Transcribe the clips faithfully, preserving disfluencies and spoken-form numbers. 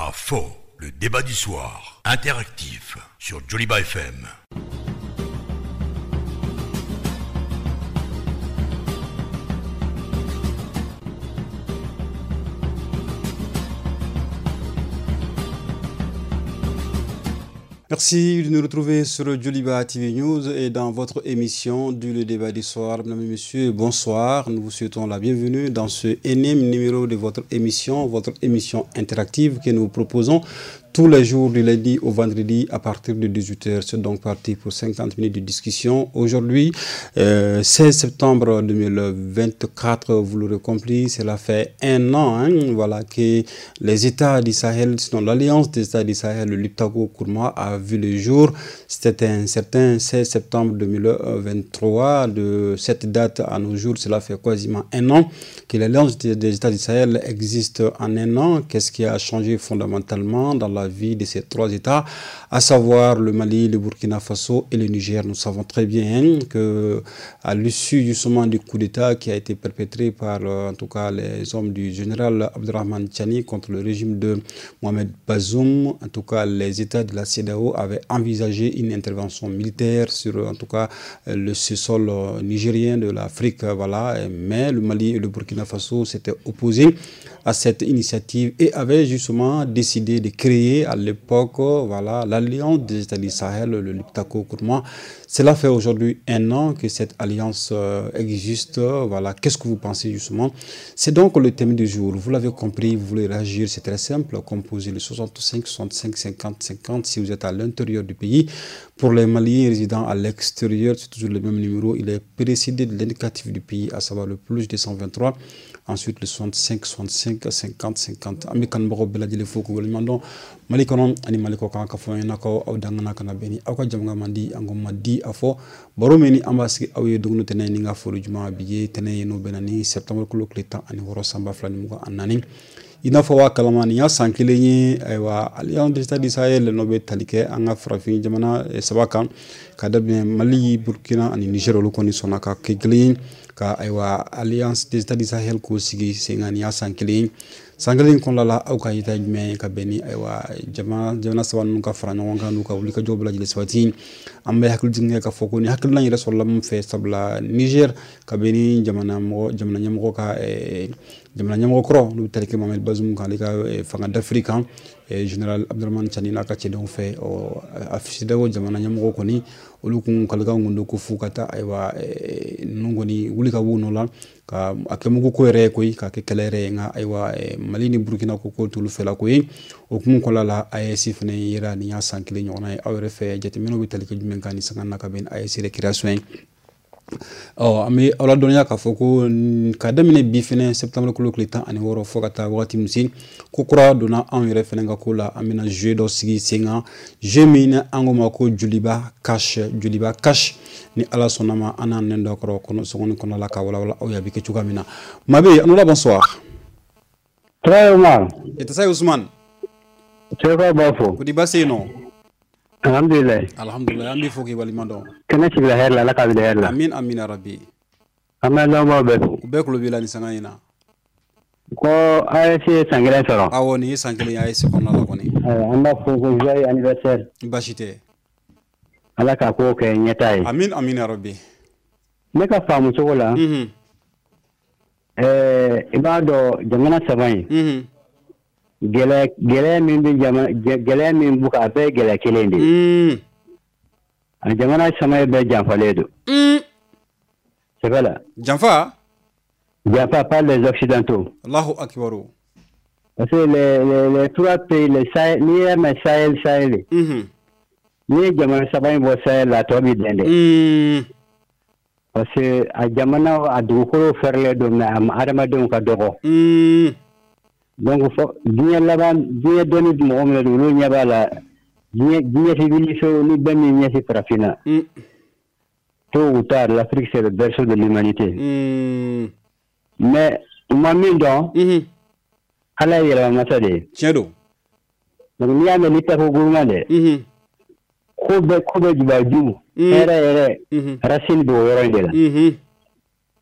À faux, le débat du soir, interactif sur Joliba F M. Merci de nous retrouver sur Joliba T V News et dans votre émission du Le Débat du Soir. Mesdames et messieurs, bonsoir. Nous vous souhaitons la bienvenue dans ce énième numéro de votre émission, votre émission interactive que nous proposons tous les jours du lundi au vendredi à partir de dix-huit heures. C'est donc parti pour cinquante minutes de discussion. Aujourd'hui, euh, seize septembre deux mille vingt-quatre, vous l'aurez compris, cela fait un an hein, voilà, que les États du Sahel, sinon l'Alliance des États du Sahel, le Liptako Gourma, a vu le jour. C'était un certain seize septembre deux mille vingt-trois. De cette date à nos jours, cela fait quasiment un an que l'Alliance des États du Sahel existe en un an. Qu'est-ce qui a changé fondamentalement dans la vie de ces trois États, à savoir le Mali, le Burkina Faso et le Niger? Nous savons très bien que à l'issue justement du coup d'État qui a été perpétré par en tout cas les hommes du général Abdourahamane Tiani contre le régime de Mohamed Bazoum, en tout cas les États de la CEDEAO avaient envisagé une intervention militaire sur en tout cas le sol nigérien de l'Afrique, voilà, mais le Mali et le Burkina Faso s'étaient opposés à cette initiative et avaient justement décidé de créer à l'époque, voilà, l'Alliance des États du Sahel, le Liptako Gourma. Cela fait aujourd'hui un an que cette alliance existe. Voilà, qu'est-ce que vous pensez justement? C'est donc le thème du jour. Vous l'avez compris, vous voulez réagir, c'est très simple. Composez le soixante-cinq, soixante-cinq, cinquante, cinquante si vous êtes à l'intérieur du pays. Pour les Maliens résidant à l'extérieur, c'est toujours le même numéro. Il est précédé de l'indicatif du pays, à savoir le plus deux cent vingt-trois. Ensuite, le soixante-cinq, soixante-cinq, cinquante, cinquante. An bɛ kanubagaw bɛɛ lajɛlen fo k'u waleɲuman dɔn Mali kɔnɔ ani Mali kɔ kan k'a fɔ ɲɛna ko aw dangana kana bɛn ni aw ka jamana man di an ko ma di a fɔ baro min ni an b'a sigi aw ye don o tɛnɛn ni n ka foli juma bi ye tɛnɛn ye n'o bɛnna ni septembre kalo tile tan ani wɔɔrɔ san ba fila ni mugan ani naani. I n'a fɔ waa kalama nin y'a san kelen ye, ayiwa Alliance des États du Sahel n'o bɛ tali kɛ an ka farafin jamana saba kan ka daminɛ Mali, Burkina ani Niger, olu kɔni sɔnna ka kɛ kelen ye ka ayiwa Alliance des États du Sahel k'o sigi sen kan. Nin y'a san kelen ye. San kelen in kɔnɔna la, aw ka yeta jumɛn ye ka bɛn ni ayiwa jamana jamana saba ninnu ka fara ɲɔgɔn kan n'u ka wulikajɔw bɛɛ lajɛlen sabati? An bɛ hakili jigin kɛ k'a fɔ ko nin hakilina yɛrɛ sɔrɔla min fɛ, sabula Niger ka bɛn ni jamana mɔgɔ jamana ɲɛmɔgɔ ka jamana ɲɛmɔgɔ kɔrɔ n'u bɛ tali kɛ Mohamed Bazoum kan, ale ka fanga dafiri kan général Abdourahamane Tiani n'a ka cɛdenw fɛ. Ɔ a CEDEAO jamana ɲɛmɔgɔ kɔni olu kun kalikan kun don ko f'u ka taa ayiwa ninnu kɔni wuli ka b'u nɔ la ka a kɛ mugu ko yɛrɛ ye koyi, k'a kɛ kɛlɛ yɛrɛ ye. Nka ayiwa Mali ni Burkina ko ko t'olu fɛla ko ye. O hukumu kɔnɔna la, A E S fana yera nin y'a san kelen ɲɔgɔnna ye. Aw yɛrɛ fɛ jateminɛw bɛ tali kɛ jumɛn kan ni sanga na ka bɛn ni A E S récréation ye? Ɔ an bɛ aw ladɔnniya k'a fɔ ko ka daminɛ bi fɛnɛ septembre kalo tile tan ani wɔɔrɔ fo ka taa wagati min se, ko kura donna anw yɛrɛ fɛnɛ ka ko la. An bɛna jeu dɔ sigi sen kan, jeu min ni an ko ma ko Joliba Cash. Joliba Cash, ni Ala sɔnna ma, an n'an nɛn dɔ kɔrɔ kɔnɔ sɔgɔni kɔnɔna la ka walawala aw ye a bɛ kɛ cogoya min na. Mabe, an bonsoir. Très Omar. Et ça Ousmane. Très b'a fo. Ko di baasi yen nɔ? Alhamdulilayi. Alhamdulilayi, an b'i fo k'i waleɲuman dɔn. Kɛnɛ sigila hɛrɛ la, Ala k'a bila hɛrɛ la. Amin amin ya rabi. An bɛ lamɛnbaaw bɛɛ fo. U bɛɛ tulo b'i la nin sanga in na. Ko A E S ye san kelen sɔrɔ. Awɔ, nin ye san kelen ye A E S kɔnɔna la kɔni. An b'a fɔ ko joyeux anniversaire. Baasi tɛ. Ala k'a ko kɛ ɲɛtaa ye. Amin amin ya rabi. Ne ka faamu cogo la. Unhun. Ɛɛ i b'a dɔn jamana saba in. Unhun. Gɛlɛya gɛlɛya min bɛ jamana gɛlɛya min b'u kan, a bɛɛ ye gɛlɛya kelen de ye. A jamana saba bɛɛ janfalen don. Sɛbɛ la. Janfa? Janfa par les occidentaux. Allahu akbar. Parce que les les les trois pays, les Sahel, n'i y'a mɛn Sahel Sahel. N'i ye jamana saba in bɔ Sahel la, a tɔ b'i dɛn dɛ. Parce que a jamana a dugukolo fɛrɛlen don, mais a adamadenw ka dɔgɔ. Donc fɔ diɲɛ laban diɲɛ dɔnni mɔgɔ min don, olu ɲɛ b'a la diɲɛ diɲɛ tɛ wuli so ni bɛɛ min ɲɛsin farafinna. Tôt ou tard, l'Afrique c'est le berceau de l'humanité. Mm. Mais u ma min dɔn, Ala ye yɛlɛmamasa de ye. Tiɲɛ don. Donc n'i y'a mɛn Liptako Gourma dɛ, ko bɛɛ ko bɛɛ jubaju, hɛrɛ yɛrɛ racine b'o yɔrɔ in de la.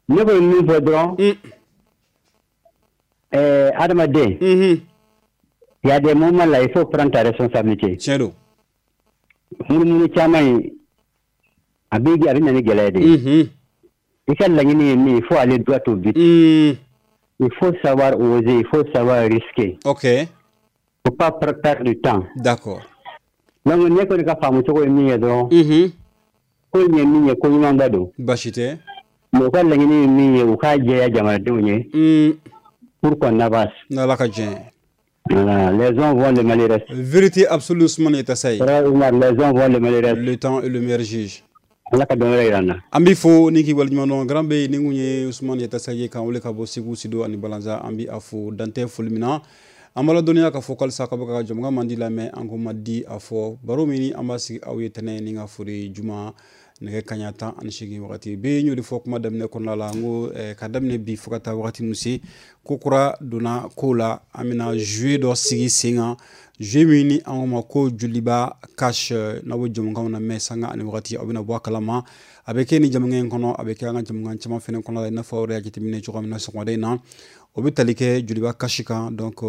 Ne kɔni min fɔ dɔrɔn, ɛɛ adamaden, Il y a des moments là, il faut prendre ta responsabilité. Tiɲɛ don. Munumunu caman in, a bɛ a bɛ na ni gɛlɛya de ye. I ka laɲini ye min, il faut aller droit au but. Mm. Il faut savoir oser, il faut savoir risquer. Ok. Faut pas perdre du temps. D'accord. Donc ne kɔni ka faamu cogo ye min ye dɔrɔn. Mhm. Ko in ye min ye, ko ɲumanba don. Baasi tɛ. Mais u ka laɲini ye min ye, u k'a jɛya jamanadenw ye. Mm. Pour qu'on avance. N'Ala ka diɲɛ. Voilà, les uns vont, le Mali reste. Vérité absolue, Ousmane Yatassaye. Frère Oumar, les uns vont, le Mali reste. Le temps est le meilleur juge. Ala ka dɔn wɛrɛ yira an na. An b'i fo ni k'i waleɲuman dɔn. Grand B, ni kun ye Ousmane Yatassaye kan wele ka bɔ Segu, Sido ani Balanza. An bi a fo dantɛ foli min na. An b'a ladɔnniya k'a fɔ k'alisa k'aw bɛ ka jɔnmukan man di lamɛn, an ko ma di a fɔ baro min an b'a sigi aw ye tɛnɛ ni ka foli juma nɛgɛ kaɲa tan ani seegin wagati bɛɛ. N y'o de fɔ kuma daminɛ kɔnɔna la, n ko ka daminɛ bi fo ka taa wagati min se, ko kura donna ko la, an bɛna jeu dɔ sigi sen kan, jeu min ni an ko ma ko Joliba Cash. N'aw bɛ jɔnmukanw na mɛn sanga ani wagati, aw bɛna bɔ a kalama. A bɛ kɛ ni jamukan in kɔnɔ, a bɛ kɛ an ka jamukan caman fɛnɛ kɔnɔ la, i n'a fɔ aw yɛrɛ y'a jateminɛ cogoya min na sɔgɔmada in na, o bɛ tali kɛ Joliba Cash kan. Donc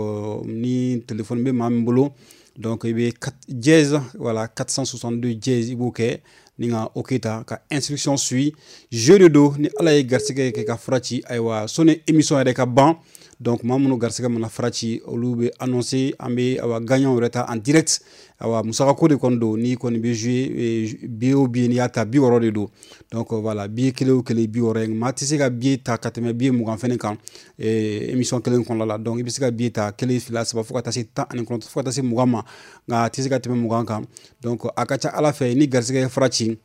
ni téléphone bɛ maa min bolo, donc i bɛ dièse, voilà, quatre cent soixante-deux dièse, i b'o kɛ ni ka OK ta ka instruction suit. Jeu de don, ni Ala ye garisɛgɛ kɛ ka fura ci, ayiwa, sɔnni émission yɛrɛ ka ban, donc maa minnu garisɛgɛ mana fura ci, olu bɛ annoncer, an bɛ awa gagnant yɛrɛ ta en direct. Awa musakako de kɔni don, n'i kɔni bɛ jouer, billet o billet n'i y'a ta, bi wɔɔrɔ de don. Donc voilà, billet kelen o kelen bi wɔɔrɔ ye. Maa tɛ se ka billet ta ka tɛmɛ billet mugan fɛnɛ kan émission kelen kɔnɔna la. Donc i bɛ se ka billet ta kelen, fila, saba, fo ka taa se tan ani kɔnɔntɔn, fo ka taa se mugan ma, nka a tɛ se ka tɛmɛ mugan kan. Donc a ka ca Ala fɛ, ni garisɛgɛ ye fura ci,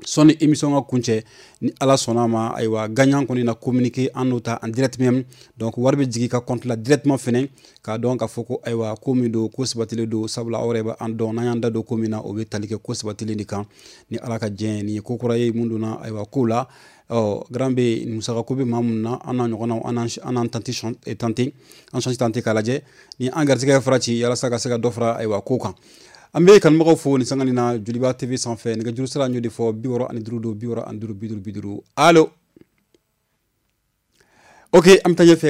sɔnni émission ka kuncɛ, ni Ala sɔnna ma, ayiwa, gagnant kɔni na communiquer, an n'o ta en direct même. Donc wari bɛ jigin i ka compte la directement fɛnɛ, k'a dɔn k'a fɔ ko ayiwa, ko min don, ko sabatilen don. Sabula aw yɛrɛ bɛ an dɔn, n'an y'an da don ko min na, o bɛ tali kɛ ko sabatilen de kan. Ni Ala ka diɲɛ, nin ye ko kura ye mun donna ayiwa ko la. Ɔ grand B, musaka ko bɛ maa mun na, an n'a ɲɔgɔnnaw, an n'an tenter tenter an chance tenter k'a lajɛ ni an garisɛgɛ ye fara ci, yalasa ka se ka dɔ fara ayiwa ko kan. An bɛ kanubagaw fo nin sanga nin na Joliba T V sanfɛ. Nɛgɛjuru sira, n y'o de fɔ, bi wɔɔrɔ ani duuru don, bi wɔɔrɔ ani duuru, bi duuru, bi duuru. Allo. Ok,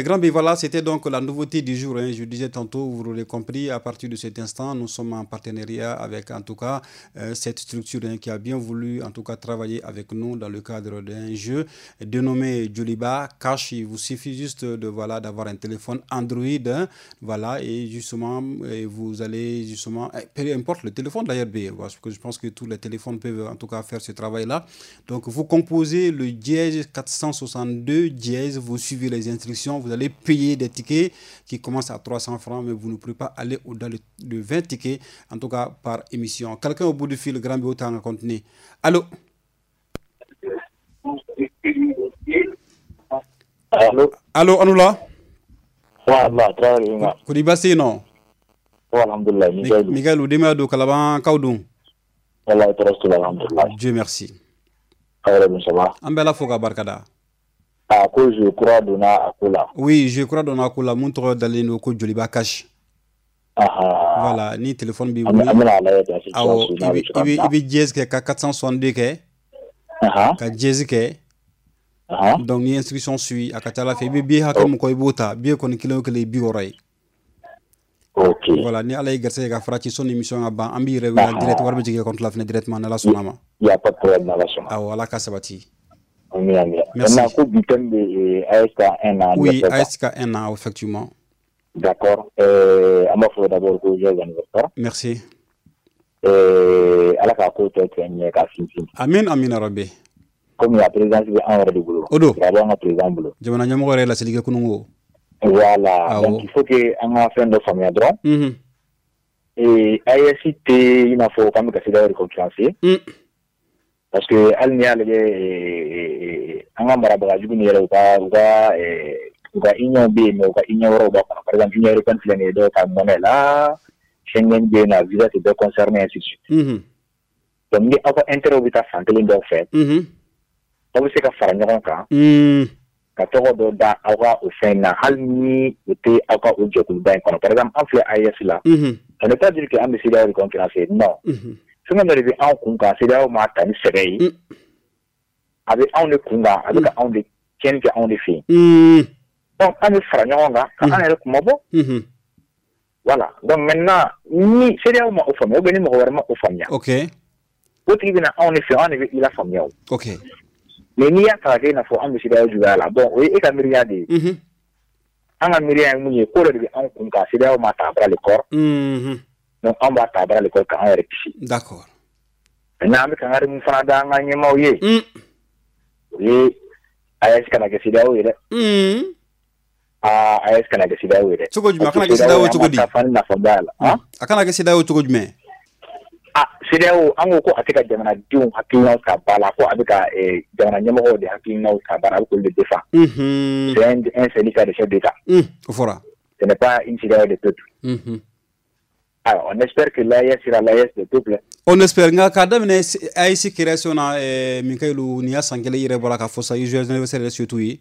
Grand B, voilà, c'était donc la nouveauté du jour. Hein. Je disais tantôt, vous l'aurez compris, à partir de cet instant, nous sommes en partenariat avec, en tout cas, euh, cette structure, hein, qui a bien voulu, en tout cas, travailler avec nous dans le cadre d'un jeu dénommé Joliba Cash. Il vous suffit juste de, voilà, d'avoir un téléphone Android, hein, voilà, et justement, et vous allez justement, peu importe le téléphone d'ailleurs, parce que je pense que tous les téléphones peuvent, en tout cas, faire ce travail-là. Donc, vous composez le dièse quatre cent soixante-deux dièse, vous suivez les instructions, vous allez payer des tickets qui commencent à trois cents francs, mais vous ne pouvez pas aller au-delà de vingt tickets, en tout cas par émission. Quelqu'un au bout du fil, grand autant à continuer. Allô? Allô? Allô, Anoula? Wallah, Traoré. Kodi basi non? Alhamdulillah, Mikael. Mikael, denbaya don, Kalaban kaw dun? Wallahi, tɔɔrɔ t'u la, alhamdulillah. Dieu merci. Aw yɛrɛ dun, ça va? An bɛ Ala fo k'a barikada. A ko jeu kura donna a ko la. Oui, jeu kura donna a ko la, mun tɔgɔ dalen don ko Joliba Cash. Aha. Voilà, ni téléphone b'i bolo. An bɛna a lajɛ dans Awɔ, i bɛ i bɛ i bɛ dièse kɛ ka quatre cent soixante-deux kɛ. Aha. Ka dièse kɛ. Aha. Donc ni instruction suit, a ka ca Ala fɛ, i bɛ billet hakɛ min kɔ, i b'o ta. Billet kɔni kelen o kelen ye bi wɔɔrɔ ye. Ok. Voilà, ni Ala ye garisɛgɛ ka fara ci, sɔnni émission ka ban, an b'i yɛrɛ wele direct, wari bɛ jigin i ka compte la fɛnɛ directement, ni Ala sɔnna ma. Il y a pas de problème, n'Ala sɔnna. Awɔ, Ala ka sabati. Amin, amin. Merci. Maintenant, ko bi thème de A E S ka un an Oui, anniversaire. A E S ka un an, effectivement. D'accord. Euh, an b'a fɔ d'abord ko joyeux anniversaire. Merci. Euh, Ala k'a ko tɔ kɛ ɲɛ k'a sinsin. Amin, amin, Rabbi. Komi a présidence bɛ an yɛrɛ de bolo. O don. A b'an ka président bolo. Jamana ɲɛmɔgɔ yɛrɛ ye laseli kɛ kunun ko. Voilà. Awɔ. Donc il faut que an ka fɛn dɔ faamuya dɔrɔn. Mhm. Et A E S tɛ i n'a fɔ k'an bɛ ka CEDEAO de concurrencer. Mm. Parce que hali n'i y'a lajɛ, an ka marabaga jugu ni yɛrɛ, u ka u ka u ka union bɛ yen, mais u ka union wɛrɛw b'a kɔnɔ. Par exemple, Union européenne filɛ nin ye, dɔw ka monnaie la, Schengen bɛ yen nɔ, visa tɛ bɛɛ concerné, ainsi de suite. Mhm. Donc ni aw ka intérêt bɛ taa fan kelen dɔw fɛ, Mhm. aw bɛ se ka fara ɲɔgɔn kan Mm. ka tɔgɔ dɔ da aw ka o fɛn na, hali ni o tɛ aw ka o jɛkuluba in kɔnɔ. Par exemple, an filɛ A E S la, Mhm. ça ne veut pas dire que an bɛ CEDEAO de concurrencer, non. Mhm. Fɛn dɔ de bɛ anw kun kan, CEDEAO m'a ta ni sɛbɛ ye. Mm. A bɛ anw de kun kan, a bɛ ka anw de tiɲɛni kɛ anw de fɛ yen. Mm. Donc an bɛ fara ɲɔgɔn kan ka an yɛrɛ kunmabɔ. Mhm. Voilà. Donc maintenant, ni CEDEAO ma o faamuya ou bien ni mɔgɔ wɛrɛ ma o faamuya. Ok. O tigi bɛna anw de fɛ, anw de bɛ i la faamuya o. Ok. Mais n'i y'a ta k'a kɛ i n'a fɔ an bɛ CEDEAO juguya la, bon o ye e ka miiriya de ye. Mhm. An ka miiriya ye mun ye, ko dɔ de bɛ anw kun kan, CEDEAO ma ta à bras le corps. Mhm. Donc anw b'a ta à bras le corps k'an yɛrɛ kisi. D'accord. Maintenant an bɛ kangari mun fana da an ka ɲɛmaaw ye. Mm. O ye A E S kana kɛ CEDEAO ye dɛ. Mm. Aa A E S kana kɛ CEDEAO ye dɛ. Cogo jumɛn a kana kɛ CEDEAO cogo di? Nafa b'a la. A kana kɛ CEDEAO cogo jumɛn? Ah CEDEAO an ko ko a tɛ ka jamanadenw hakilinaw ta ba la, ko a bɛ ka jamana ɲɛmɔgɔw de hakilinaw ta ba la, a bɛ k'olu de défend. Mhm. C'est un, un syndicat de chefs d'État. Mm. O fɔra. Ce n'est pas une CEDEAO de peuple. Mhm. Alors, on espère que l'A E S sera l'A E S de peuple. On espère. Nka k'a daminɛ A E S création na eh, Mikayilu nin y'a san kelen i yɛrɛ bɔra k'a fɔ sa, joyeux anniversaire yɛrɛ surtout ye.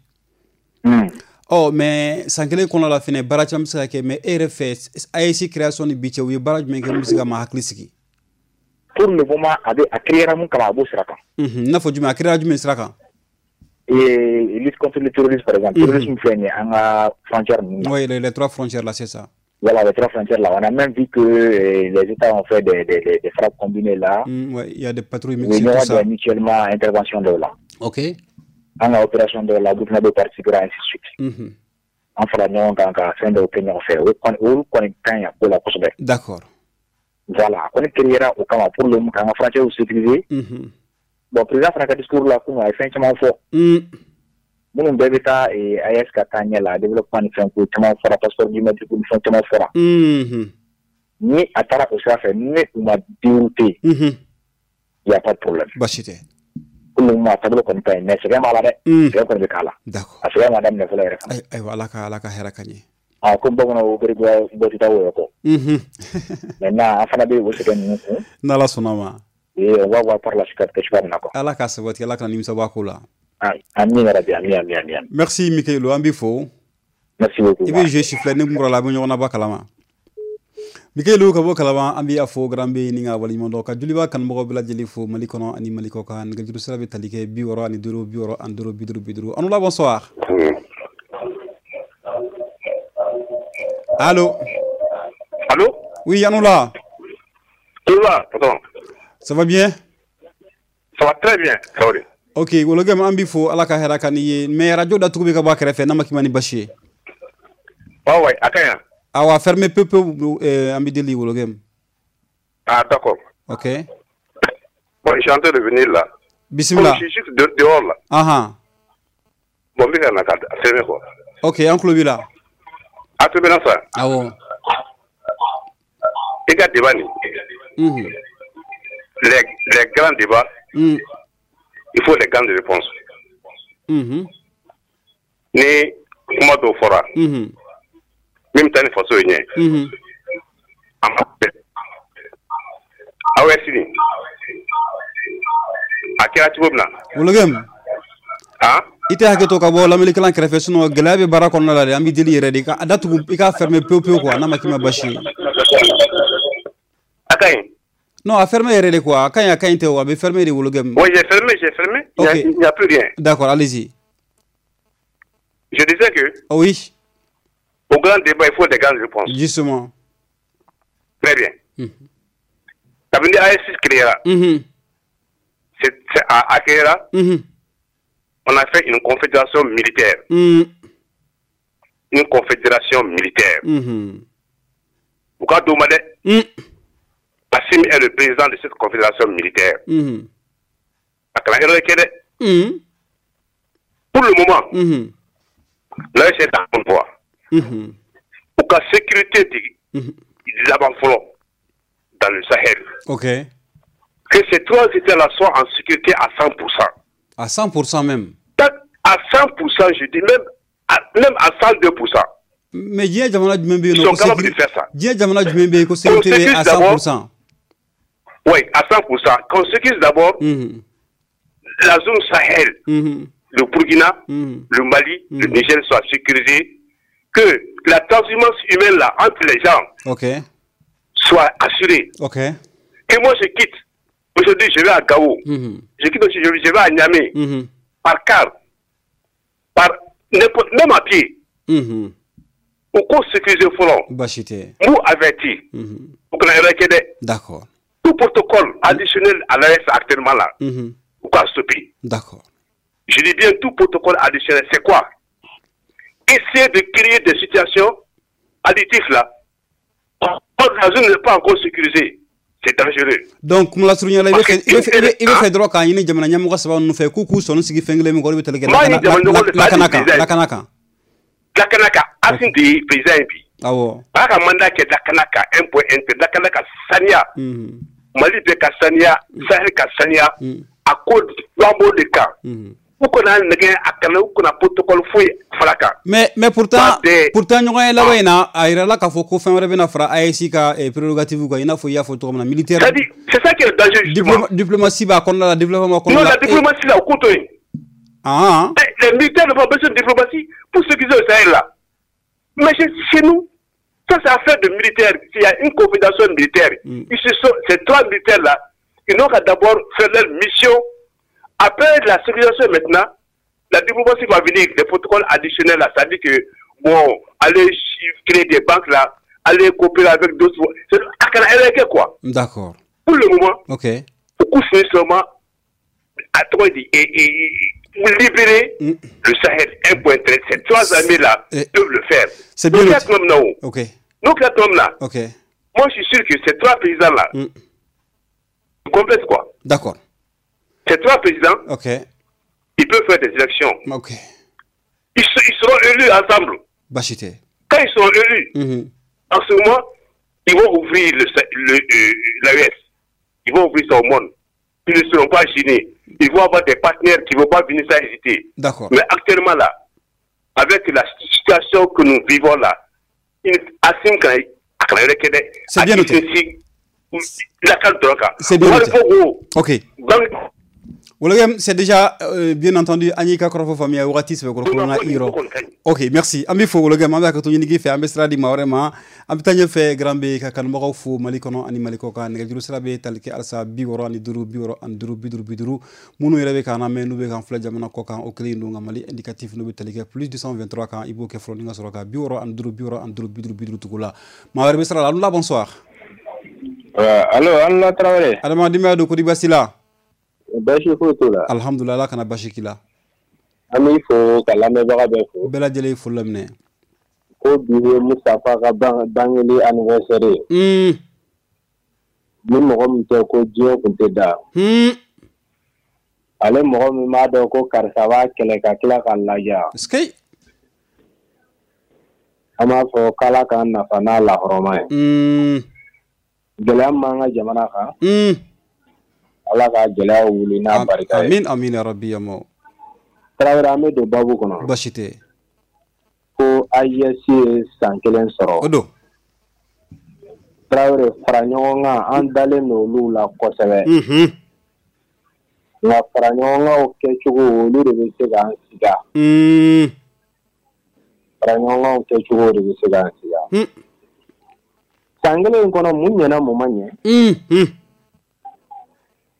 Mm. Ɔ mais san kelen kɔnɔ la fɛnɛ baara caman bɛ se ka kɛ, mais e yɛrɛ fɛ A E S création ni bi cɛ u ye baara jumɛn kɛ mun bɛ se ka maa hakili sigi? Pour le moment, a bɛ a créera mun kama a b'o sira kan. Mhm. I n'a fɔ jumɛn, a créera jumɛn sira kan? Et lutte contre le terrorisme par exemple. Mm -hmm. Terrorisme filɛ nin ye an ka frontière ninnu na. Oui, les, les trois frontières là, c'est ça. Voilà, les trois frontières là. On a même vu que euh, les États ont fait des, des, des, des frappes combinées là. Mm, ouais, il y a des patrouilles mixtes, tout ça. Mutuellement intervention de là. Ok. An ka opération dɔw la, Burkina bɛ participer ainsi de suite. Mm -hmm. An fara ɲɔgɔn kan ka fɛn dɔw kɛ ɲɔgɔn fɛ. O kɔni olu kɔni ka ɲi a ko la kosɛbɛ. D'accord. Voilà, a kɔni créera o kama pour le moment k'an ka frontières sécuriser. Mm -hmm. Bon, président fana ka discours la kunun a ye fɛn caman fɔ. Mm. Minnu bɛɛ bɛ taa A E S ka taa ɲɛ la, développement ni fɛn ko caman fɔra, passeport biométrique ni fɛn caman fɔra. Mm-hmm. Ni a taara o sira fɛ, ni u ma dérouter, mm-hmm. il y a pas de problème. Baasi tɛ. Pour le moment a taabolo kɔni ka ɲi, mais sɛgɛn b'a la dɛ. Sɛgɛn kɔni bɛ k'a la. D'accord. A sɛgɛn ma daminɛ fɔlɔ yɛrɛ fana. Ayiwa, Ala ka Ala ka hɛrɛ ka ɲɛ. Ah komi bamananw ko bɔ tɛ taa o yɛrɛ kɔ. Maintenant an fana bɛ o sɛgɛn ninnu kun. N'Ala sɔnna ma. Et on va voir par la suite kɛ cogoya min na quoi. Ala k'a sabati, Ala kana nimisa bɔ a ko la. Amin yarabi, amin, amin, amin. Merci Mikayilu, an b'i fo. Merci beaucoup. I bɛ jeu siffler ne kun kɔrɔ la, a bɛ ɲɔgɔn na ba kalama. Mikayilu ka bɔ Kalaban, an b'i fo grand B ni ka waleɲuman dɔn ka Joliba kanubagaw bɛɛ lajɛlen fo Mali kɔnɔ ani Mali kɔ kan. Nɛgɛjuru sira bɛ tali kɛ bi wɔɔrɔ ani duuru bi wɔɔrɔ ani duuru bi duuru bi duuru. An bonsoir. Allô. Allô. Oui, Yanoula. Tout va, pardon. Ça va bien? Ça va très bien, Traoré. Ok, wologem an b'i fo, Ala ka hɛrɛ ka n'i ye. Mais radio datugu bɛ ka bɔ a kɛrɛfɛ n'a ma k'i ma ni basi ye. Ouais, ouais, a ka ɲi. Awa, fermez peu peu euh, an b'i deli wologem. Ah, d'accord. Ok. Bon, je suis en train de venir là. Bismillah. Bon, je suis juste de, dehors là. Ah ah. Bon, n bɛ ka na ka fermer quoi. Ok, an tulo b'i la. A tulo bɛ n na sa? Awɔ. I ka débat nin. Mhm. Les, les grands débats. Mm. Il faut les grandes réponses. Mm-hmm. Ni kuma dɔw fɔra. Mm-hmm. Min bɛ taa ni faso ye ɲɛ. Mm-hmm. A ma bɛn. A E S nin. A kɛra cogo min na. Wologem. Han? I tɛ hakɛ to ka bɔ lamɛnnikɛla kɛrɛfɛ, sinon gɛlɛya bɛ baara kɔnɔna la dɛ. An b'i deli yɛrɛ de ka datugu, i k'a fermer pewu pewu quoi, n'a ma k'i ma basi ye. A ka ɲi. Non, a fermé yɛrɛ de quoi. A ka ɲi, a ka ɲi tɛ o, a bɛ fermé de wologem. Oui, j'ai fermé, j'ai fermé. Ok. Il n'y a plus rien. D'accord, allez-y. Je disais que. Oh oui. Au grand débat, il faut des grandes réponses. Justement. Très bien. Mm-hmm. Kabini A E S créera. Mm-hmm. C'est, c'est à, à créera. Mm-hmm. On a fait une confédération militaire. Mm. Une confédération militaire. Mm-hmm. Pourquoi demander? Mm. Assimi est le président de cette confédération militaire. Mm-hmm. Mm. Pour le moment, mm-hmm. l'A E S est en bonne voie. Mm-hmm. Pour la sécurité de, mm-hmm. l'avant-front dans le Sahel. Ok. Que ces trois États-là soient en sécurité à cent pour cent. À cent pour cent même. À cent pour cent, je dis même à, même à cent deux pour cent. Mais diɲɛ jamana jumɛn bɛ yen Ils sont capables de faire ça. Diɲɛ jamana jumɛn bɛ yen ko sécurité à cent pour cent. Oui, à cent pour cent. Qu'on sécurise d'abord mm-hmm. la zone Sahel, mm-hmm. le Burkina, mm-hmm. le Mali, mm-hmm. le Niger soient sécurisés, que la transhumance humaine là, entre les gens okay. soit assurée. Okay. Que moi je quitte. Aujourd'hui, je vais à Gao. Mm-hmm. Je quitte aussi, je vais à Niamey. Mm-hmm. Par car, par n'importe, même à pied. Mm-hmm. U k'o sécuriser fɔlɔ. Baasi tɛ. N b'u averti. U kana erreur kɛ dɛ. D'accord. Tout protocole additionnel à l'A E S actuellement là, u k'a stopper. D'accord. Je dis bien tout protocole additionnel, c'est quoi? Essayer de créer des situations additives là. Or, la zone n'est pas encore sécurisée. C'est dangereux. Donc, kuma lasurunya la, i bɛ fɛ i bɛ fɛ dɔrɔn k'a ɲini jamana ɲɛmɔgɔ saba ninnu fɛ k'u k'u sɔnni sigi fɛn kelen min kɔrɔ, i bɛ tali kɛ lakana kan, lakana kan. Lakana kan, Assimi de ye président ye bi. Awɔ. A y'a ka mandat kɛ lakana kan, un point un tɛ, lakana ka saniya. Mali bɛɛ ka saniya, Sahel ka saniya. A ko an b'o de kan. U kana nɛgɛ a kana, u kana protocole foyi fara kan. Mais mais pourtant pourtant ɲɔgɔn ye laban in na, a yirala k'a fɔ ko fɛn wɛrɛ bɛna fara A E S ka prérogative kan, i n'a fɔ i y'a fɔ cogo min na militaire. C'est-à-dire, c'est ça qui est le danger justement. Diplomatie b'a kɔnɔna la, développement b'a kɔnɔna la. Non, la diplomatie là, o k'o to yen. Ah. Les militaires n'ont pas besoin de diplomatie pour sécuriser le Sahel là. Mais chez nous, ça c'est affaire de militaires. S'il y a une confédération militaire, ils se sont, ces trois militaires là, ils n'ont qu'à d'abord faire leur mission. Après la sécurisation maintenant, la diplomatie va venir, les protocoles additionnels là, c'est-à-dire que, bon, aller créer des banques là, aller coopérer avec d'autres, c'est quoi. D'accord. Pour le moment, ok. Beaucoup seulement, à trois et, et, libérer mm. le Sahel, un point treize. Ces trois armées là et doivent le faire. C'est bien. Nous, ok. Nous, quatre hommes là. Ok. Moi, je suis sûr que ces trois présidents là, mm. complètent quoi. D'accord. Ces trois présidents, ok. Ils peuvent faire des élections. Ok. Ils, ils seront élus ensemble. Bachité. Quand ils seront élus, mm-hmm. en ce moment, ils vont ouvrir le, le, euh, l'A E S. Ils vont ouvrir ça au monde. Ils ne seront pas gênés. Ils vont avoir des partenaires qui ne vont pas venir sans hésiter. D'accord. Mais actuellement là, avec la situation que nous vivons là, c'est bien noté. C'est bien noté. Ok. C'est déjà euh, bien entendu Anika Korofo famille Wati c'est corona iro. OK, merci. Ami fo wologem an b'a ka to ɲinigi fɛ an bɛ sira di maa wɛrɛ ma. An bɛ taa ɲɛfɛ Grand B ka kanubagaw fo Mali kɔnɔ ani Mali kɔ kan. Nɛgɛjuru sira bɛ tali kɛ halisa bi wɔɔrɔ ani duuru bi wɔɔrɔ ani duuru bi duuru bi duuru. Minnu yɛrɛ bɛ k'an lamɛn n'u bɛ k'an filɛ jamana kɔ kan o kelen don nka Mali indicatif n'u bɛ tali kɛ plus deux cent vingt-trois kan i b'o kɛ fɔlɔ ni ka sɔrɔ ka bi wɔɔrɔ ani duuru bi wɔɔrɔ ani duuru bi duuru bi duuru tugu la. Maa wɛrɛ bɛ sira la. Alula bonsoir. Allo, Alula Traoré. Adamadenya don ko di baasi la? Baasi foyi t'o la. Alhamdulillah, Ala kana baasi k'i la. An b'i fo ka lamɛnbaga bɛɛ fo. Bɛɛ lajɛlen ye foli laminɛ. Ko bi ye Mustapha ka bangeli anniversaire ye. Mm. Ni mɔgɔ min tɛ ko diɲɛ kun tɛ da. Mm. Ale mɔgɔ min b'a dɔn ko karisa b'a kɛlɛ ka tila k'a laja. Est-ce An b'a fɔ k'Ala k'an nafa n'a lahɔrɔma ye. Mm. Gɛlɛya min b'an ka jamana kan. Mm. Ala ka gɛlɛya wuli n'a barika ye. Amin amin ya rabbi ya maw. Tarawele an bɛ don baabu kɔnɔ. Baasi tɛ. Ko A E S ye san kelen sɔrɔ. O don. Tarawele fara ɲɔgɔn kan an dalen don olu la kosɛbɛ. Unhun. Nka fara ɲɔgɔn kanw kɛcogo olu de bɛ se k'an siga. Un. Fara ɲɔgɔn kanw kɛcogo de bɛ se k'an siga. Un. San kelen in kɔnɔ mun ɲɛna mun ma ɲɛ? Unhun.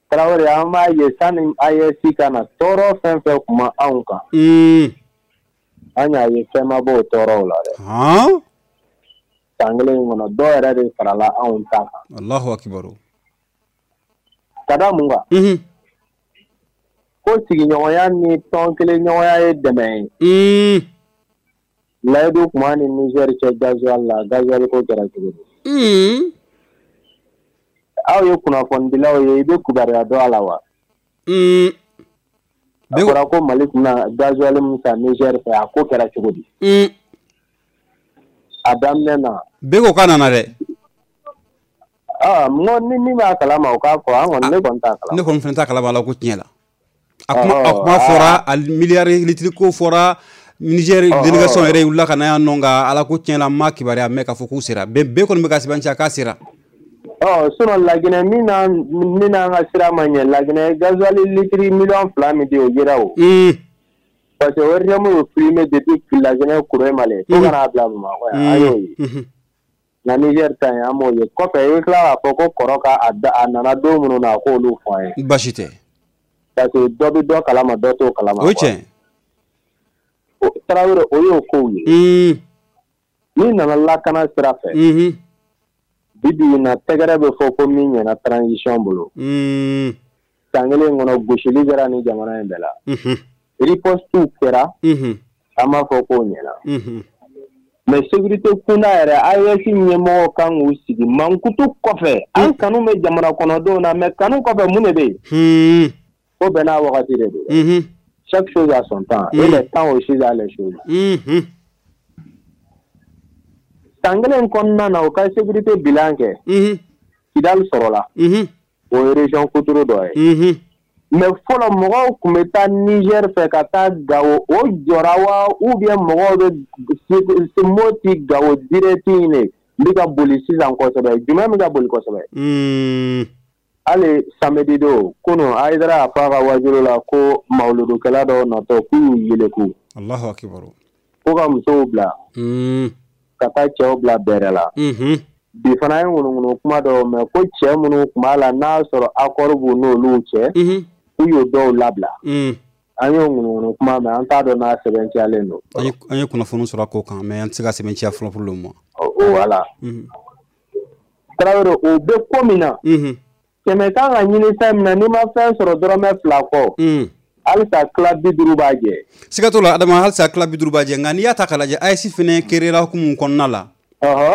Tarawele an b'a ye sani A E S ka na tɔɔrɔ fɛn fɛn kun ma anw kan. An y'a ye fɛn ma bɔ o tɔɔrɔw la dɛ. San kelen in kɔnɔ dɔw yɛrɛ de farala anw ta kan. Alahu akibaru. Ka da mun kan? Ko sigiɲɔgɔnya ni tɔn kelen ɲɔgɔnya ye dɛmɛ ye. Layidu kun b'an ni Niger cɛ gazuwali la, gazuwali ko kɛra cogo di? Aw ye kunnafonidilaw ye, i bɛ kibaruya dɔn a la wa? A fɔra ko Mali tun na gazuwali min san Niger fɛ, a ko kɛra cogo di? A daminɛ na. Bɛɛ ko k'a nana dɛ. Aa mɔgɔ ni min b'a kalama o k'a fɔ, an kɔni ne kɔni t'a kalama. Ne kɔni fana t'a kalama la ko tiɲɛ la. A kuma a kuma fɔra, a miliyari litiri ko fɔra, Niger délégation yɛrɛ wulila ka na yan nɔ nka Ala ko tiɲɛ la n ma kibaruya mɛn k'a fɔ k'u sera. Bɛɛ bɛɛ kɔni bɛ ka sɛbɛntiya k'a sera. Ɔ sinon Laginɛ min n'an min n'an ka sira ma ɲɛ, Laginɛ gazuwali litiri miliyɔn fila min di o yera o. Parce que O R T M y'o primé depuis Laginɛ Kuremale fo ka n'a bila Bamakɔ yan, an y'o ye. Nka Niger ta in an m'o ye. Kɔfɛ i bɛ tila k'a fɔ ko kɔrɔ ka a nana don minnu na k'olu fɔ an ye. Baasi tɛ. Parce que dɔ bɛ dɔ kalama dɔ t'o kalama. O ye tiɲɛ. Tarawele o y'o kow ye. N'i nana lakana sira fɛ, bi bi in na tɛgɛrɛ bɛ fɔ ko min ɲɛna transition bolo. San kelen kɔnɔ gosili kɛra ni jamana in bɛɛ la. Riposte kɛra, an b'a fɔ k'o ɲɛna. Mais sécurité kunda yɛrɛ A E S ɲɛmɔgɔw kan k'u sigi mankutu kɔfɛ. An kanu bɛ jamana kɔnɔdenw na, mais kanu kɔfɛ mun de bɛ yen? Ko bɛɛ n'a wagati de don. Chaque chose a son temps et le temps aussi a les choses. San kelen kɔnɔna na u ka sécurité bilan kɛ. Kidali sɔrɔla. O ye région kuturu dɔ ye. Mais fɔlɔ mɔgɔw tun bɛ taa Niger fɛ ka taa Gawo, o jɔra wa ou bien mɔgɔw bɛ Moti Gawo direct in de bɛ ka boli sisan kosɛbɛ. Jumɛn bɛ ka boli kosɛbɛ? Hali samedi don kunun Hayidara y'a fɔ a ka wajulu la ko mawuludukɛla dɔw natɔ k'u y'u yeleku. Alahu akibaru. Ko ka musow bila. Ka taa cɛw bila bɛrɛ la. Bi fana ye ŋunuŋunu kuma dɔw mɛn ko cɛ minnu tun b'a la n'a sɔrɔ accord b'u n'olu cɛ. K'u y'o dɔw labila. An y'o ŋunuŋunu kuma mɛn, an t'a dɔn n'a sɛbɛntiyalen don. An ye kunnafoni sɔrɔ a ko kan, mais an tɛ se ka sɛbɛntiya fɔlɔ pour le moment. Voilà. Tarawele, o bɛ ko min na. Kɛmɛ kan ka ɲini fɛn min na, n'i ma fɛn sɔrɔ dɔrɔmɛ fila kɔ. Halisa tila bi duuru b'a jɛ. Siga t'o la Adama, halisa tila bi duuru b'a jɛ, nka n'i y'a ta k'a lajɛ A E S fɛnɛ créera hukumu kɔnɔna la.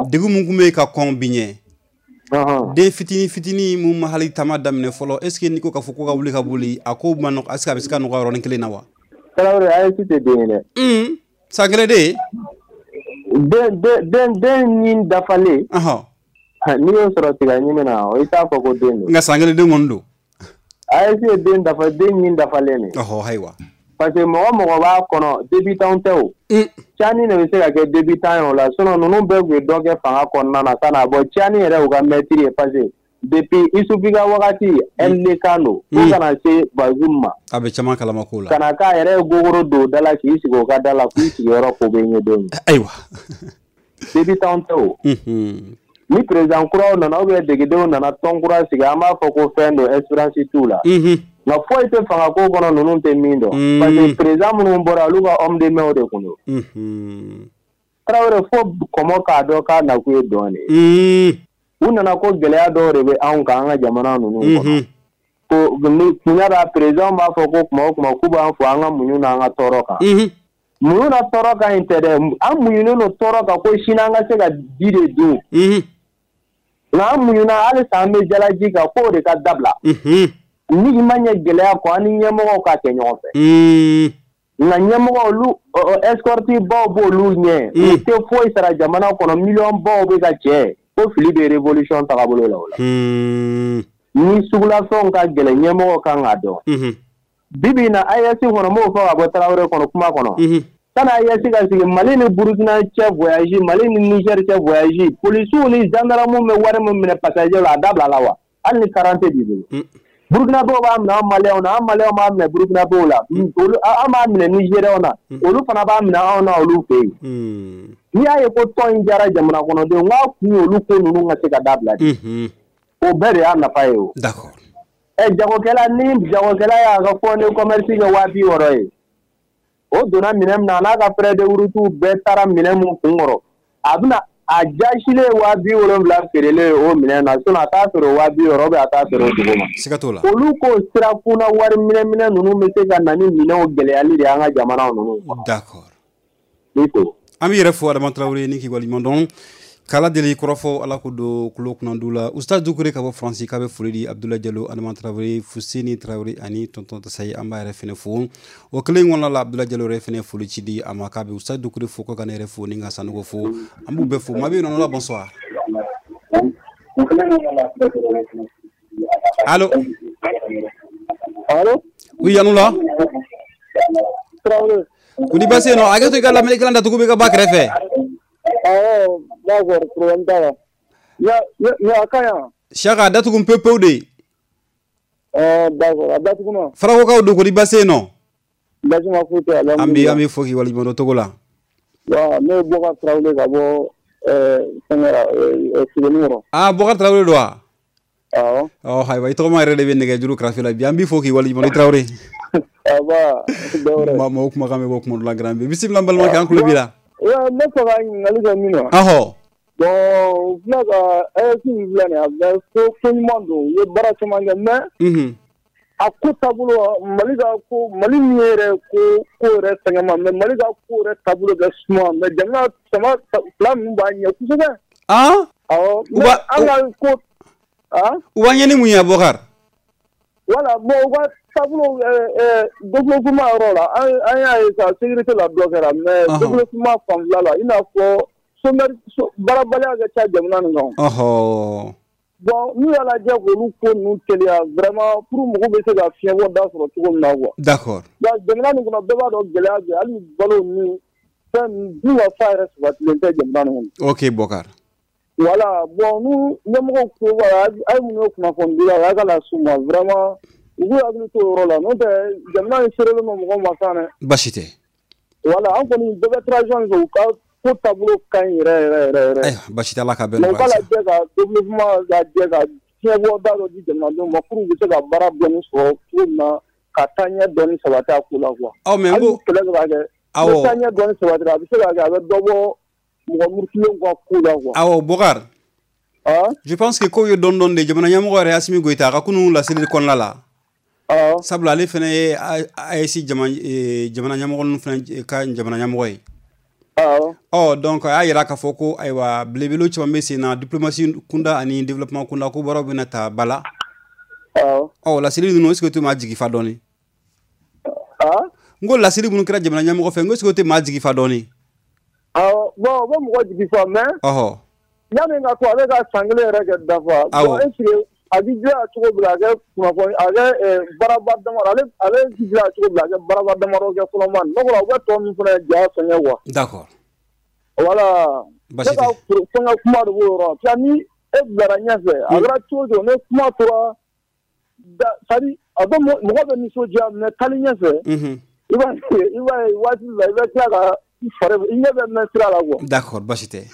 Degun mun tun bɛ yen ka kɔn bi ɲɛ. Den fitinin fitinin mun ma hali taama daminɛ fɔlɔ, est ce que n'i ko k'a fɔ ko ka wuli ka boli, a ko ma nɔgɔ, est ce que a bɛ se ka nɔgɔya yɔrɔnin kelen na wa? Tarawele, A E S tɛ den ye dɛ. San kelen den? Den den den ɲin dafalen. N'i y'o sɔrɔ tiga ɲimi na, i t'a fɔ ko den don. Nka san kelen den kɔni don. A E S ye den dafa den ɲin dafalen de. Ɔhɔ, ayiwa. Parce que mɔgɔ mɔgɔ b'a kɔnɔ débutant tɛ o. Tiani de bɛ se ka kɛ débutant ye o la, sinon ninnu bɛɛ tun ye dɔ kɛ fanga kɔnɔna na ka na bɔ Tiani yɛrɛ y'u ka maître ye, parce que depuis Isufi ka wagati L D kan don fo ka na se Bazoum ma. A bɛ caman kalama ko la. Ka na k'a yɛrɛ ye gogoro don da la k'i sigi o ka da la k'i sigiyɔrɔ ko bɛ ɲɛ don min. Ayiwa. Débutant tɛ o. Ni président kuraw nana ou bien degedenw nana tɔn kura sigi, an b'a fɔ ko fɛn don, espérance t'u la. Nka foyi tɛ fanga ko kɔnɔ ninnu tɛ min dɔn. Parce que président minnu bɔra olu ka homme de main de kun don. Tarawele, fo kɔmɔ k'a dɔn k'a nakun ye dɔn de ye. U nana ko gɛlɛya dɔw de bɛ anw kan an ka jamana ninnu kɔnɔ. Ko ni kunya b'a président b'a fɔ ko kuma o kuma k'u b'an fo an ka muɲu n'an ka tɔɔrɔ kan. Muɲu na tɔɔrɔ kan in tɛ dɛ, an muɲunen don tɔɔrɔ kan ko sini an ka se ka ji de dun. Nka an muɲuna halisa an bɛ jalaji kan k'o de ka dabila. Ni i ma ɲɛ gɛlɛya kɔ, an ni ɲɛmɔgɔw ka kɛ ɲɔgɔn fɛ. Nka ɲɛmɔgɔw olu escorte baw b'olu ɲɛ. U tɛ foyi sara jamana kɔnɔ, miliyɔn baw bɛ ka cɛ. Ko fili bɛ révolution tagabolo la o la. Ni sugulafɛnw ka gɛlɛn, ɲɛmɔgɔw kan k'a dɔn. Bi bi in na A E S kɔnɔ, n b'o fɔ ka bɔ Tarawele kɔnɔ kuma kɔnɔ. Sanni A E S ka sigi, Mali ni Burukina cɛ voyage, Mali ni Niger cɛ voyage, polisiw ni gendarmew bɛ wari min minɛ passager la, a dabila la wa? Hali ni quarante b'i bolo. Burukinabew b'a minɛ an Maliyɛnw na, an Maliyɛnw b'a minɛ Burukinabew la, olu an b'a minɛ Nigériens na, olu fana b'a minɛ anw na olu fɛ yen. N'i y'a ye ko tɔn in diyara jamana kɔnɔdenw, n k'a kun ye olu ko ninnu ka se ka dabila de. O bɛɛ de y'a nafa ye o. D'accord. Ɛ jagokɛla, ni jagokɛla y'a ka fonds de commerce kɛ waa bi wɔɔrɔ ye, o donna minɛn min na, a n'a ka frais de route bɛɛ taara minɛn mun kun kɔrɔ, a bɛna a jasilen waa bi wolonwula feerelen o minɛn na, sinon a t'a feere waa bi wɔɔrɔ ou bien a t'a feere o dugu ma. Siga t'o la. Olu ko sira kunna wari minɛ minɛ ninnu bɛ se ka na ni minɛnw gɛlɛyali de ye an ka jamanaw ninnu kɔnɔ. D'accord. Ni ko. An b'i yɛrɛ fo Adama Tarawele ni k'i waleɲuman dɔn. K'Ala deli kɔrɔfɔ Ala ko don kulo kunnandu la. Ustaz Dukure ka bɔ Faransi k'a bɛ foli di Abdoulaye Diallo, Adama Tarawele, Fuseni Tarawele ani Tonton Tasayi, an b'a yɛrɛ fɛnɛ fo. O kelen kɔnɔna la, Abdoulaye Diallo yɛrɛ fɛnɛ foli ci di a ma k'a bɛ Ustaz Dukure fo, ko ka ne yɛrɛ fo ni ka Sanogo fo. An b'u bɛɛ fo. Maa bɛ yen nɔ la, bonsoir. Allo. Allo. Oui, Yanoula. Tarawele. Ko ni baasi yen nɔ, hakɛ to i ka lamɛnnikɛla datugu bɛ ka ba kɛrɛfɛ. Awɔ, d'accord, problème t'a la. Ya ya ka ɲi. Saka datugu pewu pewu de. Ɛɛ d'accord, a datugu na. Farakokaw don, ko ni baasi yen nɔ. Baasi ma foyi tɛ, An bɛ an bɛ fo k'i waleɲuman dɔn Togo la. Wa ne ye Bɔkari Tarawele ka bɔ ɛɛ fɛnkɛ la ɛɛ Sebenikɔrɔ. Ah, Bɔkari Tarawele don wa? Awɔ. Ɔ ayiwa, i tɔgɔma yɛrɛ de bɛ nɛgɛjuru karafe la bi, an b'i fo k'i waleɲuman dɔn i Tarawele. Aba, dɔwɛrɛ. Ma maaw kumakan bɛ bɔ kuma dɔ la garan bi. Bisimila n balimakɛ, an tulo b'i la. Ouais, ne fɛ ka ɲininkali kɛ min na. Ɔhɔ. Bon, u filɛ ka A E S min filɛ nin ye, a bɛ ko ko ɲuman don, u ye baara caman kɛ mais. Unhun. A ko taabolo, Mali ka ko, Mali min yɛrɛ ko ko yɛrɛ fɛngɛ ma, mais Mali ka ko yɛrɛ taabolo bɛ suma, mais jamana sama fila ninnu b'a ɲɛ kosɛbɛ. Ah. Awɔ, mais an ka ko. Ah. U b'a ɲɛ ni mun ye, Abubakar? Voilà, bon, u ka taabolo développement yɔrɔ la, an an y'a ye sa sécurité la dɔ kɛra, mais développement fanfɛla la, i n'a fɔ chômeur, baarabaliya ka ca jamana nin kan. Ɔhɔ. Bon, n'u y'a lajɛ k'olu ko ninnu teliya vraiment pour mɔgɔw bɛ se ka fiɲɛbɔ da sɔrɔ cogo min na quoi. D'accord. Donc jamana nin kɔnɔ, bɛɛ b'a dɔn gɛlɛya bɛ, hali balo ni fɛn dun ka fa yɛrɛ sabatilen tɛ jamana nin kɔnɔ. Ok, Bokar. Voilà, bon, n'u ɲɛmɔgɔw ko voilà, a ye mun ye kunnafonidila ye, a ka na s'u ma vraiment, u k'u hakili to o yɔrɔ la, n'o tɛ jamana in seerelen don mɔgɔw ma sa dɛ. Baasi tɛ. Voilà, an kɔni bɛɛ bɛ transition fɛ, u ka ko taabolo ka ɲi yɛrɛ yɛrɛ yɛrɛ yɛrɛ. Ayiwa, baasi tɛ, Ala ka bɛn nɔgɔya. Nɔgɔya. U k'a lajɛ ka développement lajɛ ka fiɲɛbɔ da dɔ di jamanadenw ma pour u bɛ se ka baara dɔɔni sɔrɔ cogo min na ka taa ɲɛ dɔɔni sabati a ko la quoi. Aw mais n Hali ko ni kɛlɛ bɛ ka kɛ. Awɔ. Ni taa ɲɛ dɔɔni sabatira, a bɛ se ka kɛ a bɛ dɔ bɔ mɔgɔ murutilenw ka ko la quoi. Awɔ, Bokar. Ah. Je pense que ko ye dɔɔni dɔɔni de jamana ɲɛmɔgɔ yɛrɛ Asimi Goyita a ka kunun laseli kɔnɔna la. Awɔ. Sabula ale fana ye A E S jamana ɲɛmɔgɔ ninnu fana ka jamana ɲɛmɔgɔ ye. Awɔ. Ɔ donc a y'a yira k'a fɔ ko ayiwa belebele caman bɛ sen na diplomatie kunda ani développement kunda ko baaraw bɛna ta ba la. Awɔ. Ɔ laseli ninnu, est ce que o tɛ maa jigi fa dɔɔni? Ah. N ko laseli minnu kɛra jamana ɲɛmɔgɔ fɛ, n ko est ce que o tɛ maa jigi fa dɔɔni? Awɔ, bon, o bɛ mɔgɔ jigi fa, mais. Ɔhɔ. Yanni ka to ale ka san kelen yɛrɛ kɛ dafa. Awɔ. Bon, est ce que a b'i dilan cogo min a kɛ kunnafoni a kɛ baaraba damadɔ, ale ale b'i dilan cogo min a kɛ baaraba damadɔ kɛ fɔlɔ ma n'o kɛra u bɛ tɔ min fana ja fɛngɛ quoi. D'accord. Voilà. Baasi Ne ka fɛngɛ kuma de b'o yɔrɔ la, ni e bilara ɲɛfɛ a kɛra cogo o cogo ni kuma tora da, c'est à dire a bɛ mɔgɔ bɛ nisɔndiya, mais taali ɲɛfɛ. Unhun. I b'a ye i b'a ye waati la i bɛ tila ka i fari i ɲɛ bɛ mɛn sira la quoi. D'accord, baasi tɛ.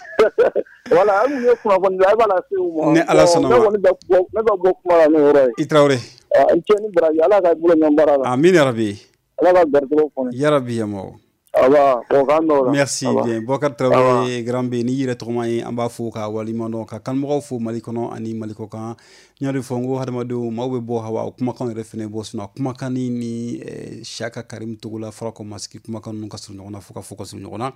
Voilà, an kun ye kunnafoni di, a b'a lase u ma. Ni Ala sɔnna ma. Ne kɔni bɛ bɔ ne bɛ bɔ kuma la n'o yɔrɔ ye. I Tarawele. I cɛ ni baraji, Ala ka bolo ɲɛ baara la. Amina yarabi. Ala ka garijɛgɛw foni. Yarabi yamaw. Aba, o k'an dɔw la. Merci bien. Bokar Traoré, Grand B, ni yɛrɛ tɔgɔma ye, an b'a fo ka waleɲuman dɔn ka kanumɔgɔw fo Mali kɔnɔ ani Mali kɔ kan. N y'a de fɔ n ko hadamadenw maaw bɛ bɔ hawa o kumakan yɛrɛ fɛnɛ bɔ, sinon kumakan ni ni Siyaka Karim Togola Farakɔ Masiki kumakan ninnu ka surun ɲɔgɔn na fo ka fɔ ka surun ɲɔgɔn na.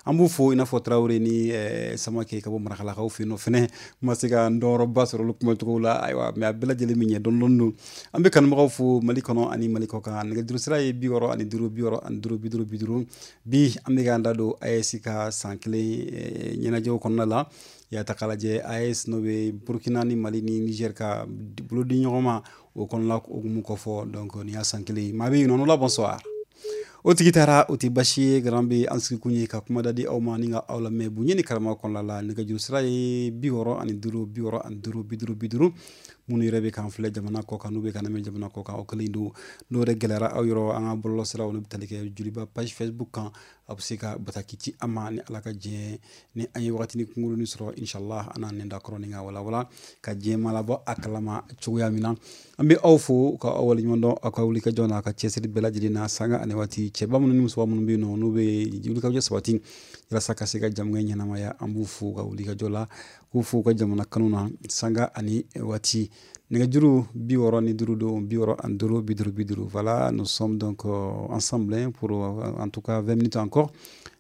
An b'u fo i n'a fɔ Traoré ni Samake ka bɔ Marakalakaw fɛ yen nɔ fɛnɛ ma se ka n dɔnyɔrɔba sɔrɔ olu kumacogo la, ayiwa, mais a bɛɛ lajɛlen bɛ ɲɛ dɔɔni dɔɔni don. An bɛ kanumɔgɔw fo Mali kɔnɔ ani Mali kɔ kan. Nɛgɛjuru sira ye bi wɔɔrɔ ani duuru bi wɔɔrɔ ani duuru bi duuru bi duuru. Bi an bɛ k'an da don A E S ka san kelen ɲɛnajɛw kɔnɔna la. Ya ta k'a lajɛ A E S n'o bɛ Burkina ni Mali ni Niger ka bolo di ɲɔgɔn ma o kɔnɔna hukumu kɔfɔ, donc nin y'a san kelen ye. Maa bɛ yen nɔ, la bonsoir. O tigi taara, o tɛ basi ye. Grand B an sigi kun ye ka kuma da di aw ma ni ka aw lamɛn bonya ni karama kɔnɔna la. Nɛgɛjuru sira ye bi wɔɔrɔ ani duuru bi wɔɔrɔ ani duuru bi duuru bi duuru. Minnu yɛrɛ bɛ k'an filɛ jamana kɔ kan, n'u bɛ k'an lamɛn jamana kɔ kan, o kelen don. N'o yɛrɛ gɛlɛyara aw yɔrɔ, an ka bɔlɔlɔ siraw n'o bɛ tali kɛ Joliba page Facebook kan, a bɛ se ka bataki ci an ma ni Ala ka diɲɛ ni an ye wagatinin kunkurunin sɔrɔ, inshallah an n'an da kɔrɔ ni ka walawala ka diɲɛ ma labɔ a kalama cogoya min na. An bɛ aw fo ka aw waleɲuman dɔn aw ka wulikajɔ n'a ka cɛsiri bɛɛ lajɛlen na sanga ani waati. Cɛba minnu ni musoba minnu bɛ yen nɔ n'u bɛ wulikajɔ sabati walasa ka se ka jamana ɲɛnamaya, an b'u fo ka wulikajɔ la, k'u fo ka jamana kanu na sanga ani waati. Nɛgɛjuru bi wɔɔrɔ ni duuru don bi wɔɔrɔ ani duuru bi duuru bi duuru. Voilà, nous sommes donc ensemble hein, pour en tout cas vingt minutes encore.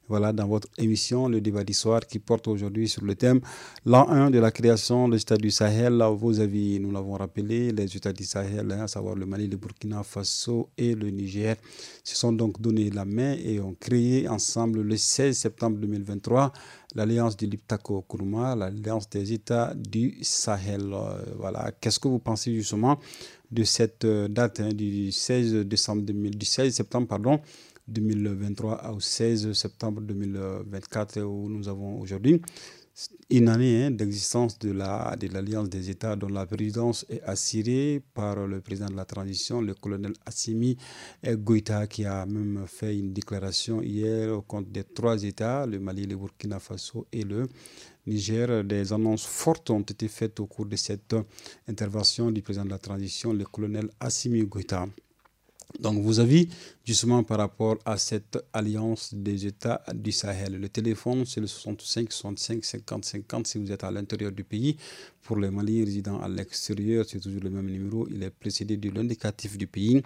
Voilà, dans votre émission, le débat du soir qui porte aujourd'hui sur le thème l'an un de la création de l'État du Sahel. Vos avis, nous l'avons rappelé, les États du Sahel, hein, à savoir le Mali, le Burkina Faso et le Niger, se sont donc donné la main et ont créé ensemble le seize septembre deux mille vingt-trois l'alliance du Liptako Gourma, l'alliance des États du Sahel. Voilà, qu'est-ce que vous pensez justement de cette date hein, du seize décembre deux mille, du seize septembre, pardon, deux mille vingt-trois au seize septembre deux mille vingt-quatre où nous avons aujourd'hui une année hein, d'existence de la, de l'Alliance des États dont la présidence est assurée par le président de la transition, le colonel Assimi Goïta, qui a même fait une déclaration hier au compte des trois États, le Mali, le Burkina Faso et le Niger. Des annonces fortes ont été faites au cours de cette intervention du président de la transition, le colonel Assimi Goïta. Donc, vos avis, justement, par rapport à cette alliance des États du Sahel. Le téléphone, c'est le soixante-cinq soixante-cinq cinquante cinquante si vous êtes à l'intérieur du pays. Pour les Maliens résidant à l'extérieur, c'est toujours le même numéro. Il est précédé de l'indicatif du pays,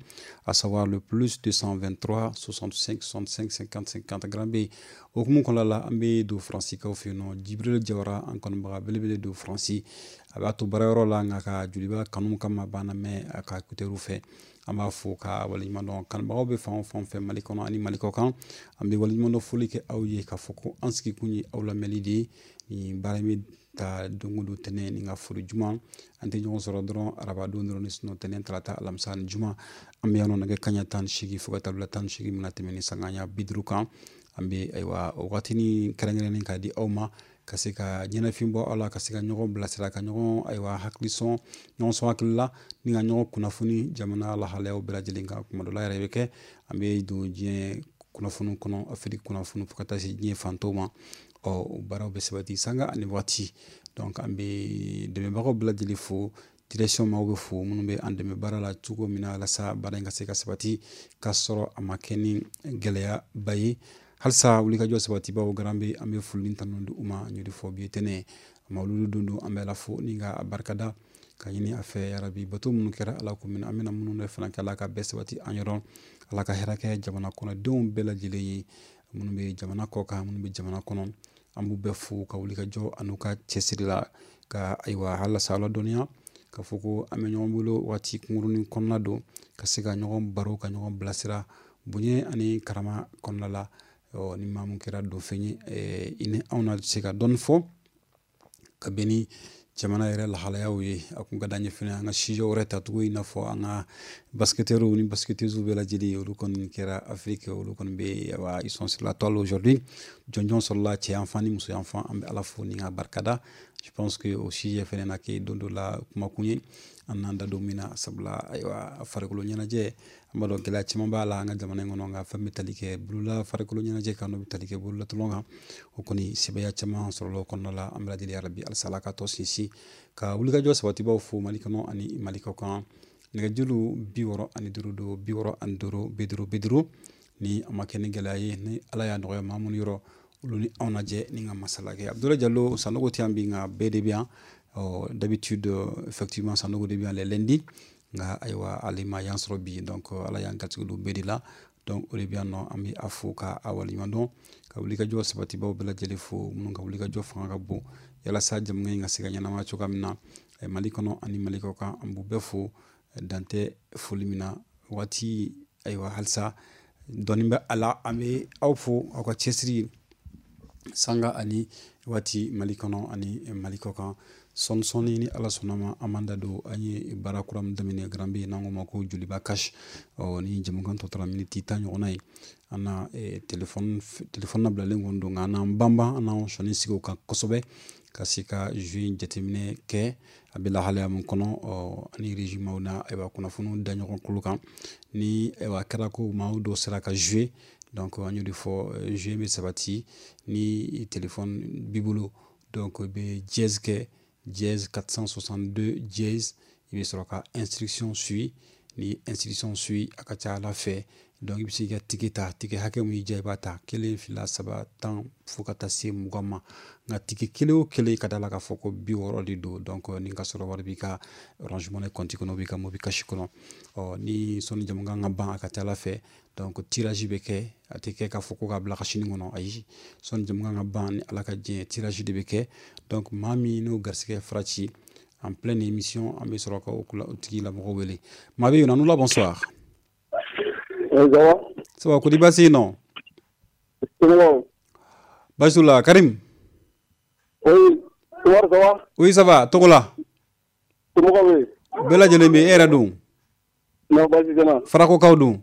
à savoir le plus deux cent vingt-trois soixante-cinq soixante-cinq cinquante cinquante. Grand B. O hukumu kɔnɔna la, an bɛ don Faransi kaw fɛ yen nɔ, Jibril Jawara, an kanubaga belebele don Faransi. A b'a to baarayɔrɔ la, nka ka Joliba kanu kama banna mɛn a ka écouteur fɛ. An b'a fo ka waleɲuman dɔn. Kanubagaw bɛ fan o fan fɛ, Mali kɔnɔ ani Mali kɔ kan, an bɛ waleɲuman dɔn, foli kɛ aw ye k'a fɔ ko an sigikun ye aw lamɛnli de ye. Nin baara in bɛ ta don o don, tɛnɛn ni ka foli juma. An tɛ ɲɔgɔn sɔrɔ dɔrɔn araba don dɔrɔn ni sinɔ, tɛnɛn, tarata, alamisa ni juma, an bɛ yan nɔ nɛgɛ kanɲɛ tan ni seegin fo ka taa bila tan ni seegin mina tɛmɛ ni sanga ɲɛ bi duuru kan. An bɛ ayiwa o wagatinin kɛrɛnkɛrɛnnen k'a di aw ma ka se ka ɲɛnafin bɔ aw la, ka se ka ɲɔgɔn bilasira, ka ɲɔgɔn ayiwa hakili sɔn, ɲɔgɔn sɔn hakili la, ni ka ɲɔgɔn kunnafoni jamana lahalayaw bɛɛ lajɛlen kan. Kuma dɔ la yɛrɛ bɛ kɛ, an bɛ don diɲɛ kunnafoniw kɔnɔ, Afiriki kunnafoni, fo ka taa se diɲɛ fantow ma. Ɔ o baaraw bɛ sabati sanga ani waati. Donc an bɛ dɛmɛbagaw bɛɛ lajɛlen fo, direction maaw bɛ fo, minnu bɛ an dɛmɛ baara la cogo min na walasa baara in ka se ka sabati k'a sɔrɔ a ma kɛ ni gɛlɛyaba ye. Halisa wulikajɔ sabatibaw garan bɛ, an bɛ foli tanu di u ma. N y'o de fɔ, bi ye tɛnɛ mawuludu don don, an bɛ Ala fo ni ka barikada ka ɲini a fɛ yarabi bato minnu kɛra, Ala ko minɛ, an bɛna minnu de fana kɛ, Ala ka bɛɛ sabati an yɔrɔ, Ala ka hɛrɛ kɛ jamana kɔnɔdenw bɛɛ lajɛlen ye, minnu bɛ jamana kɔ kan, minnu bɛ jamana kɔnɔ. An b'u bɛɛ fo ka wulikajɔ an'u ka cɛsiri la, ka ayiwa halisa aw ladɔnniya ka fɔ ko an bɛ ɲɔgɔn bolo waati kunkurunin kɔnɔna don, ka se ka ɲɔgɔn baro, ka ɲɔgɔn bilasira bonya ani karama kɔnɔna la. Ɔ ni maa mun kɛra donfɛn ye, i ni anw na se ka dɔɔni fɔ ka bɛn ni jamana yɛrɛ lahalayaw ye. A kun ka d'an ye fɛnɛ an ka sujet wɛrɛ ta tugun, i n'a fɔ an ka basketteurs ni basketteuses bɛɛ lajɛlen, olu kɔni kɛra Afrique, olu kɔni bɛ wa, ils sont sur la toile aujourd'hui. Jɔnjɔn sɔrɔla cɛ yan fan ni muso yan fan. An bɛ Ala fo ni ka barikada. Je pense que o sujet fɛnɛ na kɛ don dɔ la kumakun ye, an n'an da don min na, sabula ayiwa farikolo ɲɛnajɛ, an b'a dɔn gɛlɛya caman b'a la an ka jamana in kɔnɔ, nka fɛn bɛ tali kɛ bolola farikolo ɲɛnajɛ kan, n'o bɛ tali kɛ bololatulon kan, o kɔni sɛbɛya caman sɔrɔla o kɔnɔna la. An bɛ lajɛlen yarabi halisa Ala ka tɔ sinsin, ka wulikajɔ sabatibaw fo Mali kɔnɔ ani Mali kɔ kan. Nɛgɛjuru bi wɔɔrɔ ani duuru don, bi wɔɔrɔ ani duuru bi duuru bi duuru. Ni a ma kɛ ni gɛlɛya ye, ni Ala y'a nɔgɔya maa minnu yɔrɔ, olu ni anw lajɛ ni ka masala kɛ. Abdoulaye Diallo Sanogo tɛ yan bi, nka bɛɛ de bɛ yan. D'habitude, effectivement, Sanogo de bɛ yan les lundis, nka ayiwa ale ma yan sɔrɔ bi. Donc Ala y'an garijɛgɛ don bɛɛ de la. Donc o de bɛ yan nɔ, an bɛ a fo ka a waleɲuman dɔn, ka wulikajɔ sabatibaw bɛɛ lajɛlen fo, minnu ka wulikajɔ fanga ka bon yalasa jamana in ka se ka ɲɛnamaya cogoya min na Mali kɔnɔ ani Mali kɔ kan. An b'u bɛɛ fo, dan tɛ foli min na. Waati ayiwa halisa dɔɔni bɛ a la, an bɛ aw fo aw ka cɛsiri sanga ani waati Mali kɔnɔ ani Mali kɔ kan. Sɔɔni sɔɔni, ni Ala sɔnna ma, an b'an da don an ye baara kura min daminɛ Grand B, n'an k'o ma ko Joliba Cash. Ɔ ni jamukan tɔ tora miniti tan ɲɔgɔnna ye, an na telefɔni telefɔni labilalen kɔni don, nka an n'an banban, an n'an sɔnni sigi o kan kosɛbɛ ka se ka jeu in jateminɛ kɛ, a bɛ lahalaya min kɔnɔ. Ɔ ani régime na ayiwa kunnafoniw da ɲɔgɔn kolo kan, ni ayiwa kɛra ko maaw dɔw sera ka jouer. Donc an y'o de fɔ, jeu bɛ sabati ni téléphone b'i bolo. Donc i bɛ dièse kɛ, dièse quatre cent soixante-deux dièse, i bɛ sɔrɔ ka instruction suit. Ni instruction suit, a ka ca Ala fɛ, donc i bɛ se k'i ka ticket ta. Ticket hakɛ mun y'i diya, i b'a ta, kelen, fila, saba, tan, fo ka taa se mugan ma. Nka ticket kelen o kelen, ka da la k'a fɔ ko bi wɔɔrɔ de don. Donc ni ka sɔrɔ wari b'i ka Orange Money compte kɔnɔ, b'i ka MobiCash kɔnɔ. Ɔ ni sɔnni jamukan ka ban, a ka ca Ala fɛ, donc tirage bɛ kɛ. A tɛ kɛ k'a fɔ ko k'a bila ka sini kɔnɔ, ayi. Sɔnni jamukan ka ban, ni Ala ka diɲɛ, tirage de bɛ kɛ. Donc maa min n'o garisɛgɛ fara ci en pleine émission, an bɛ sɔrɔ ka o tigilamɔgɔ wele. Maa bɛ yen nɔ, la, bonsoir. Oui, ça va? Ça va, kodi baasi yen nɔ? Baasi t'u la, Karim? Oui, ça va? Oui, ça va, tɔgɔ la? Somɔgɔw bɛ yen? Bɛɛ lajɛlen bɛ yen, e yɛrɛ dun? Non, baasi tɛ n na. Farakokaw dun?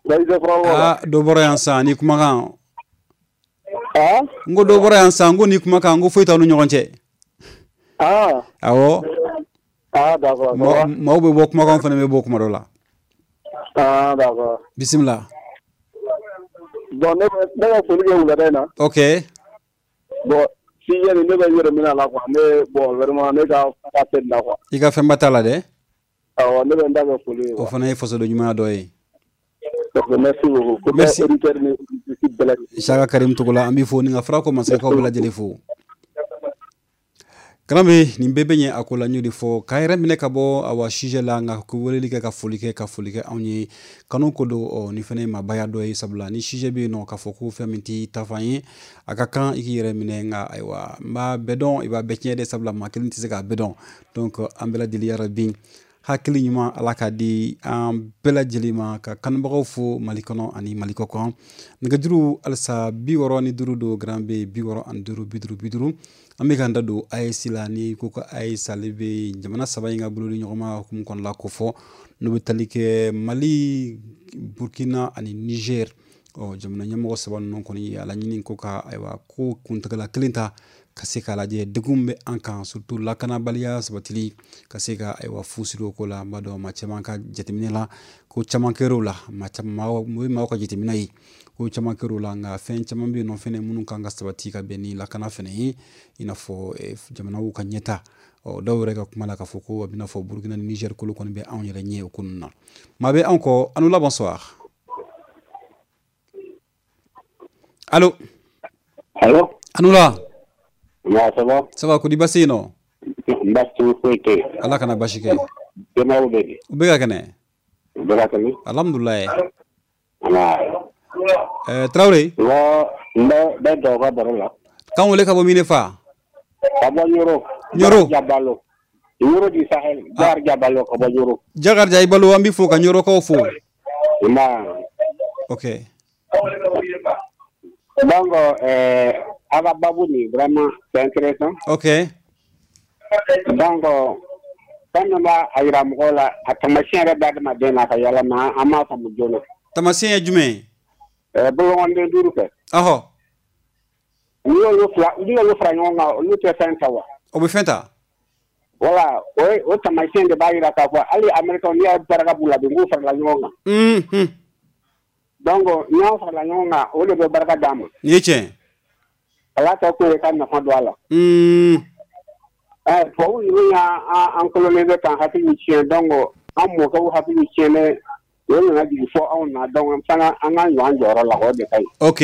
Baasi tɛ Farako la. Ah, dɔ bɔra yan sisan ni kumakan. Ah? N ko dɔ bɔra yan sisan, n ko ni kumakan, n ko foyi t'aw ni ɲɔgɔn cɛ. Ah. Awɔ. Ah, d'accord. Maaw bɛ bɔ kumakan fana bɛ bɔ kuma dɔ la. Ah, d'accord. Bisimila. Bon, ne bɛ ne bɛ foli kɛ wulada in na. Ok. Bon, sujet nin, ne bɛ n yɛrɛ minɛ a la quoi. Ne, bon, vraiment, ne ka fɛnba tɛ nin na quoi. I ka fɛnba t'a la dɛ? Awɔ, ne bɛ n ta kɛ foli ye. O fana ye fasoden ɲumanya dɔ ye. Merci beaucoup. Merci. Isaka Karim Togola an b'i fo ni ka fara ko masakɛw bɛɛ lajɛlen fo. Karambe nin bɛɛ bɛ ɲɛ a ko la n y'o de fɔ k'a yɛrɛ minɛ ka bɔ awa sujet la nka ko weleli kɛ ka foli kɛ ka foli kɛ anw ye kanu ko don ɔ ni fɛnɛ ye maabaya dɔ ye sabula ni sujet bɛ yen nɔ k'a fɔ ko fɛn min t'i tafan ye a ka kan i k'i yɛrɛ minɛ nka ayiwa n b'a bɛɛ dɔn i b'a bɛɛ tiɲɛ dɛ sabula maa kelen tɛ se k'a bɛɛ dɔn donc an bɛɛ lajɛlen yarabi hakili ɲuman ala k'a di an bɛɛ lajɛlen ma ka kanubagaw fo Mali kɔnɔ ani Mali kɔ kan nɛgɛjuru halisa bi wɔɔrɔ ni duuru don grand B bi wɔɔrɔ ani duuru bi duuru bi duuru an bɛ k'an da don A E S la ni ko ko A E S ale bɛ jamana saba in ka bolodi ɲɔgɔnma hukumu kɔnɔna ko fɔ n'o bɛ tali kɛ Mali Burkina ani Niger ɔ jamana ɲɛmɔgɔ saba ninnu kɔni ye a laɲini ko ka ayiwa ko kuntagala kelen ta ka se k'a lajɛ degun bɛ an kan surtout lakanabaliya sabatili ka se ka ayiwa fu siri o ko la n b'a dɔn maa caman ka jateminɛ la ko caman kɛr'o la maa caman o ye maaw ka jateminɛ ye ko caman kɛr'o la nka fɛn caman bɛ yen nɔ fɛnɛ minnu kan ka sabati ka bɛn ni lakana fɛnɛ ye i n'a fɔ jamanaw ka ɲɛta ɔ dɔw yɛrɛ ka kuma la k'a fɔ ko a bɛna fɔ Burkina ni Niger kolo kɔni bɛ anw yɛrɛ ɲɛ o ko ninnu na maa bɛ anw kɔ a n'u la bonsoir. Allo. Allo. A n'u la. Ouais, ça va? Ça va, ko di basi yen nɔ? Basi foyi tɛ yen. Ala kana basi kɛ. Denbayaw bɛ di? U bɛ ka kɛnɛ. U bɛ ka kɛnɛ. Alhamdulilayi. Nba. Ɛɛ Tarawele. N bɛ bɛ dɔw ka baro la. K'an wele ka bɔ min de fa? Ka bɔ Ɲoro. Ɲoro. Jabalo. Ɲoro du Sahel. Jakar Jabalo ka bɔ Ɲoro. Jakar Jabalo an b'i fo ka Ɲorokaw fo. Nba. Ok. Donc euh, Ava Babouni, vraiment, c'est intéressant. Ok. Donc, quand on va à Iramgola, à Tamasien, Yalama, Ama Samudjono. Tamasien est jumé? Euh, bon, on est dur. Ah. Nous, nous, nous, nous, On peut faire ça. Voilà, oui, au Tamasien de Bayira Kawa, allez, Américain, il y a Barakaboula, de Moufa la Nyonga. Hum. Donc, nous, on la Nyonga, on est Barakadam. Niche. Ala ta ko ka nafa don a la. Mm. Eh, tubabu ninnu y'an an coloniser k'an hakili tiɲɛ donc an mɔkɛw hakili tiɲɛnen o nana jigin fɔ anw na donc an fana an k'an jɔ an jɔyɔrɔ la o de ka ɲi. Ok.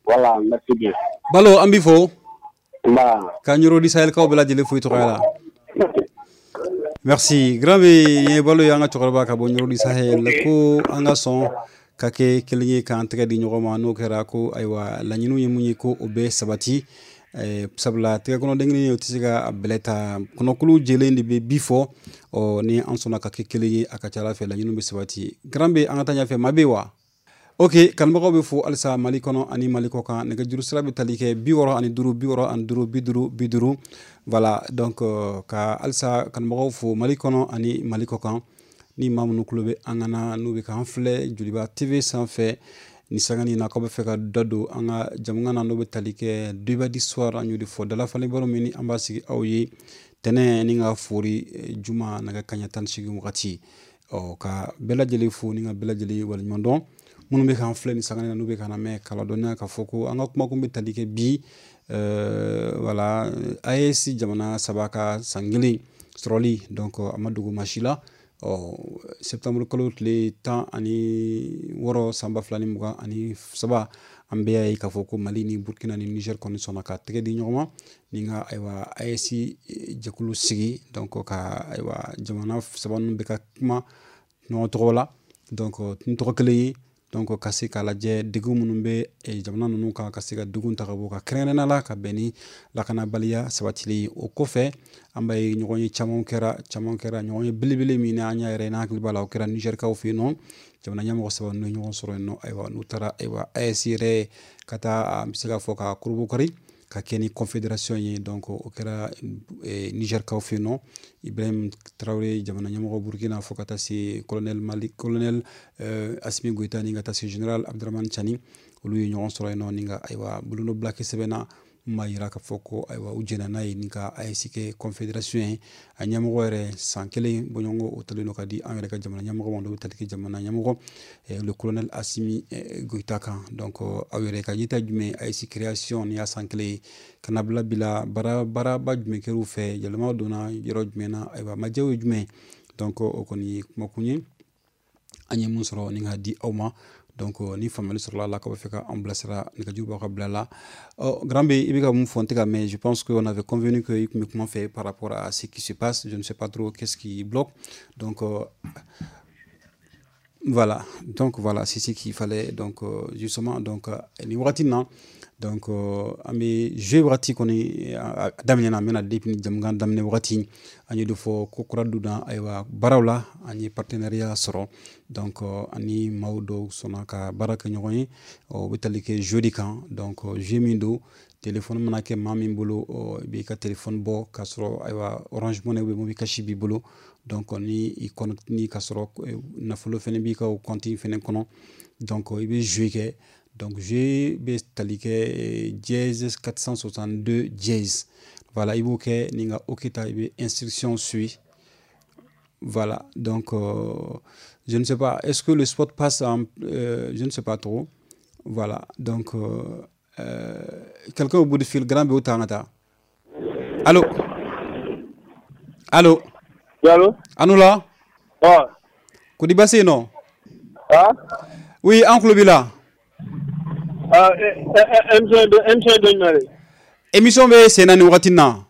Voilà, merci bien. Balo an b'i fo. Nba. Ka Ɲoro di Sahel kaw bɛɛ lajɛlen fo i tɔgɔya la. Merci. Grand B ye Balo ye an ka cɛkɔrɔba ka bɔ Ɲoro di Sahel ko an ka sɔn ka kɛ kelen ye k'an tɛgɛ di ɲɔgɔn ma n'o kɛra ko ayiwa laɲiniw ye mun ye ko o bɛ sabati eh, sabula tɛgɛ kɔnɔ den kelen o tɛ se ka a bɛlɛ ta kɔnɔkulu jɛlen de bɛ bi fɔ ɔ ni an sɔnna ka kɛ kelen ye a ka ca ala fɛ laɲiniw bɛ sabati grand B an ka taa ɲɛfɛ maa bɛ wa ok kanubagaw bɛ fo halisa Mali kɔnɔ ani Mali kɔ kan nɛgɛjuru sira bɛ tali kɛ bi wɔɔrɔ ani duuru bi wɔɔrɔ ani duuru bi duuru bi duuru voilà donc ka halisa kanubagaw fo Mali kɔnɔ ani Mali kɔ kan ni maa minnu tulo bɛ an kana n'u bɛ k'an filɛ Joliba T V sanfɛ ni sanga ni na k'aw bɛ fɛ ka da don an ka jamukan na n'o bɛ tali kɛ débat du soir an y'o de fɔ dalafalen baro min ni an b'a sigi aw ye tɛnɛ ni ka fori juma nɛgɛ kanɲɛ tan ni seegin wagati ɔ ka bɛɛ lajɛlen fo ni ka bɛɛ lajɛlen waleɲuman dɔn minnu bɛ k'an filɛ ni sanga na n'u bɛ k'an lamɛn k'a ladɔnniya k'a fɔ ko an ka kumakun bɛ tali kɛ bi voilà A E S jamana saba ka san kelen sɔrɔli donc a ma dogo maa si la ɔ septembre kalo tile tan ani wɔɔrɔ san ba fila ni mugan ani saba an bɛɛ y'a ye k'a fɔ ko Mali ni Burkina ni Niger kɔni sɔnna ka tɛgɛ di ɲɔgɔn ma ni ka ayiwa A E S jɛkulu sigi donc ka ayiwa jamana saba ninnu bɛ ka kuma ɲɔgɔn tɔgɔ la donc ni tɔgɔ kelen ye donc ka se k'a lajɛ degun minnu bɛ jamana ninnu kan ka se ka degun ta ka bɔ ka kɛrɛnkɛrɛnnenya la ka bɛn ni lakanabaliya sabatili ye o kɔfɛ an b'a ye ɲɔgɔn ye caman kɛra caman kɛra ɲɔgɔn ye belebele min na an y'a yɛrɛ n'a hakili b'a la o kɛra Nizɛrikaw fɛ yen nɔ jamana ɲɛmɔgɔ saba ninnu ye ɲɔgɔn sɔrɔ yen nɔ ayiwa n'u taara ayiwa A E S yɛrɛ ka taa an bɛ se k'a fɔ ka korobokari ka kɛ ni confédération ye donc o kɛra Nizɛrikaw fɛ yen nɔ Ibrahim Traoré jamana ɲɛmɔgɔ Burkina fo ka taa se colonel Mali colonel Assimi Goïta ni ka taa se général Abdourahamane Tiani olu ye ɲɔgɔn sɔrɔ yen nɔ ni ka ayiwa bolonɔbila kɛ sɛbɛn na mun b'a yira k'a fɔ ko ayiwa u jɛnna n'a ye ni ka A E S kɛ confédération ye a ɲɛmɔgɔ yɛrɛ san kelen bɔɲɔgɔnko o talen don ka di an yɛrɛ ka jamana ɲɛmɔgɔ ma n'o bɛ tali kɛ jamana ɲɛmɔgɔ le colonel Assimi Goïta kan donc aw yɛrɛ ka yeta jumɛn A E S création ni y'a san kelen ye ka na bila bila baara baaraba jumɛn kɛr'u fɛ yɛlɛma donna yɔrɔ jumɛn na ayiwa majɛw ye jumɛn donc o kɔni ye kumakun ye an ye mun sɔrɔ ni ka di aw ma Donc ni faamuyali sɔrɔla la k'aw bɛ fɛ ka an bilasira nɛgɛjuru b'aw ka bila la. Ɔ Grand B, i bɛ ka mun fɔ n tɛ ka mɛn. Je pense qu'on avait convenu que i tun bɛ kuma fɛ par rapport à ce qui se passe. Je ne sais pas trop qu'est-ce qui bloque. Donc euh, voilà, donc voilà, c'est ce qu'il fallait. Donc euh, justement, donc nin wagati in na, donc an bɛ jeu wagati kɔni a daminɛna, an bɛna depuis ni jamukan daminɛ wagati an ye dɔ fɔ ko kura donna ayiwa baaraw la, an ye partenariat sɔrɔ. Donc ani maaw dɔw sɔnna ka baara kɛ ɲɔgɔn ye, o bɛ tali kɛ jeu de kan. Donc jeu min don, téléphone mana kɛ maa min bolo, i b'i ka téléphone bɔ k'a sɔrɔ ayiwa Orange Money ou bien MobiCash b'i bolo. Donc ni i connecte ni k'a sɔrɔ nafolo fɛnɛ b'i ka o compte fɛnɛ kɔnɔ, donc i bɛ jeu kɛ. Donc jeu bɛ tali kɛ dièse quatre cent soixante-deux dièse. Voilà, i b'o kɛ ni ka OK ta, i bɛ instruction suit. Voilà, donc euh, je ne sais pas, est-ce que le spot passe en euh, je ne sais pas trop. Voilà, donc euh, euh, quelqu'un au bout du fil. Grand B, o ta an ka taa. Allô, allô? Oui, allô? Anoula? Ah. Kodi baasi yen nɔ? Ah. Oui, an tulo b'i la. Ah, émission émission dɔ jumɛn de? Émission bɛ sen na nin wagati in na.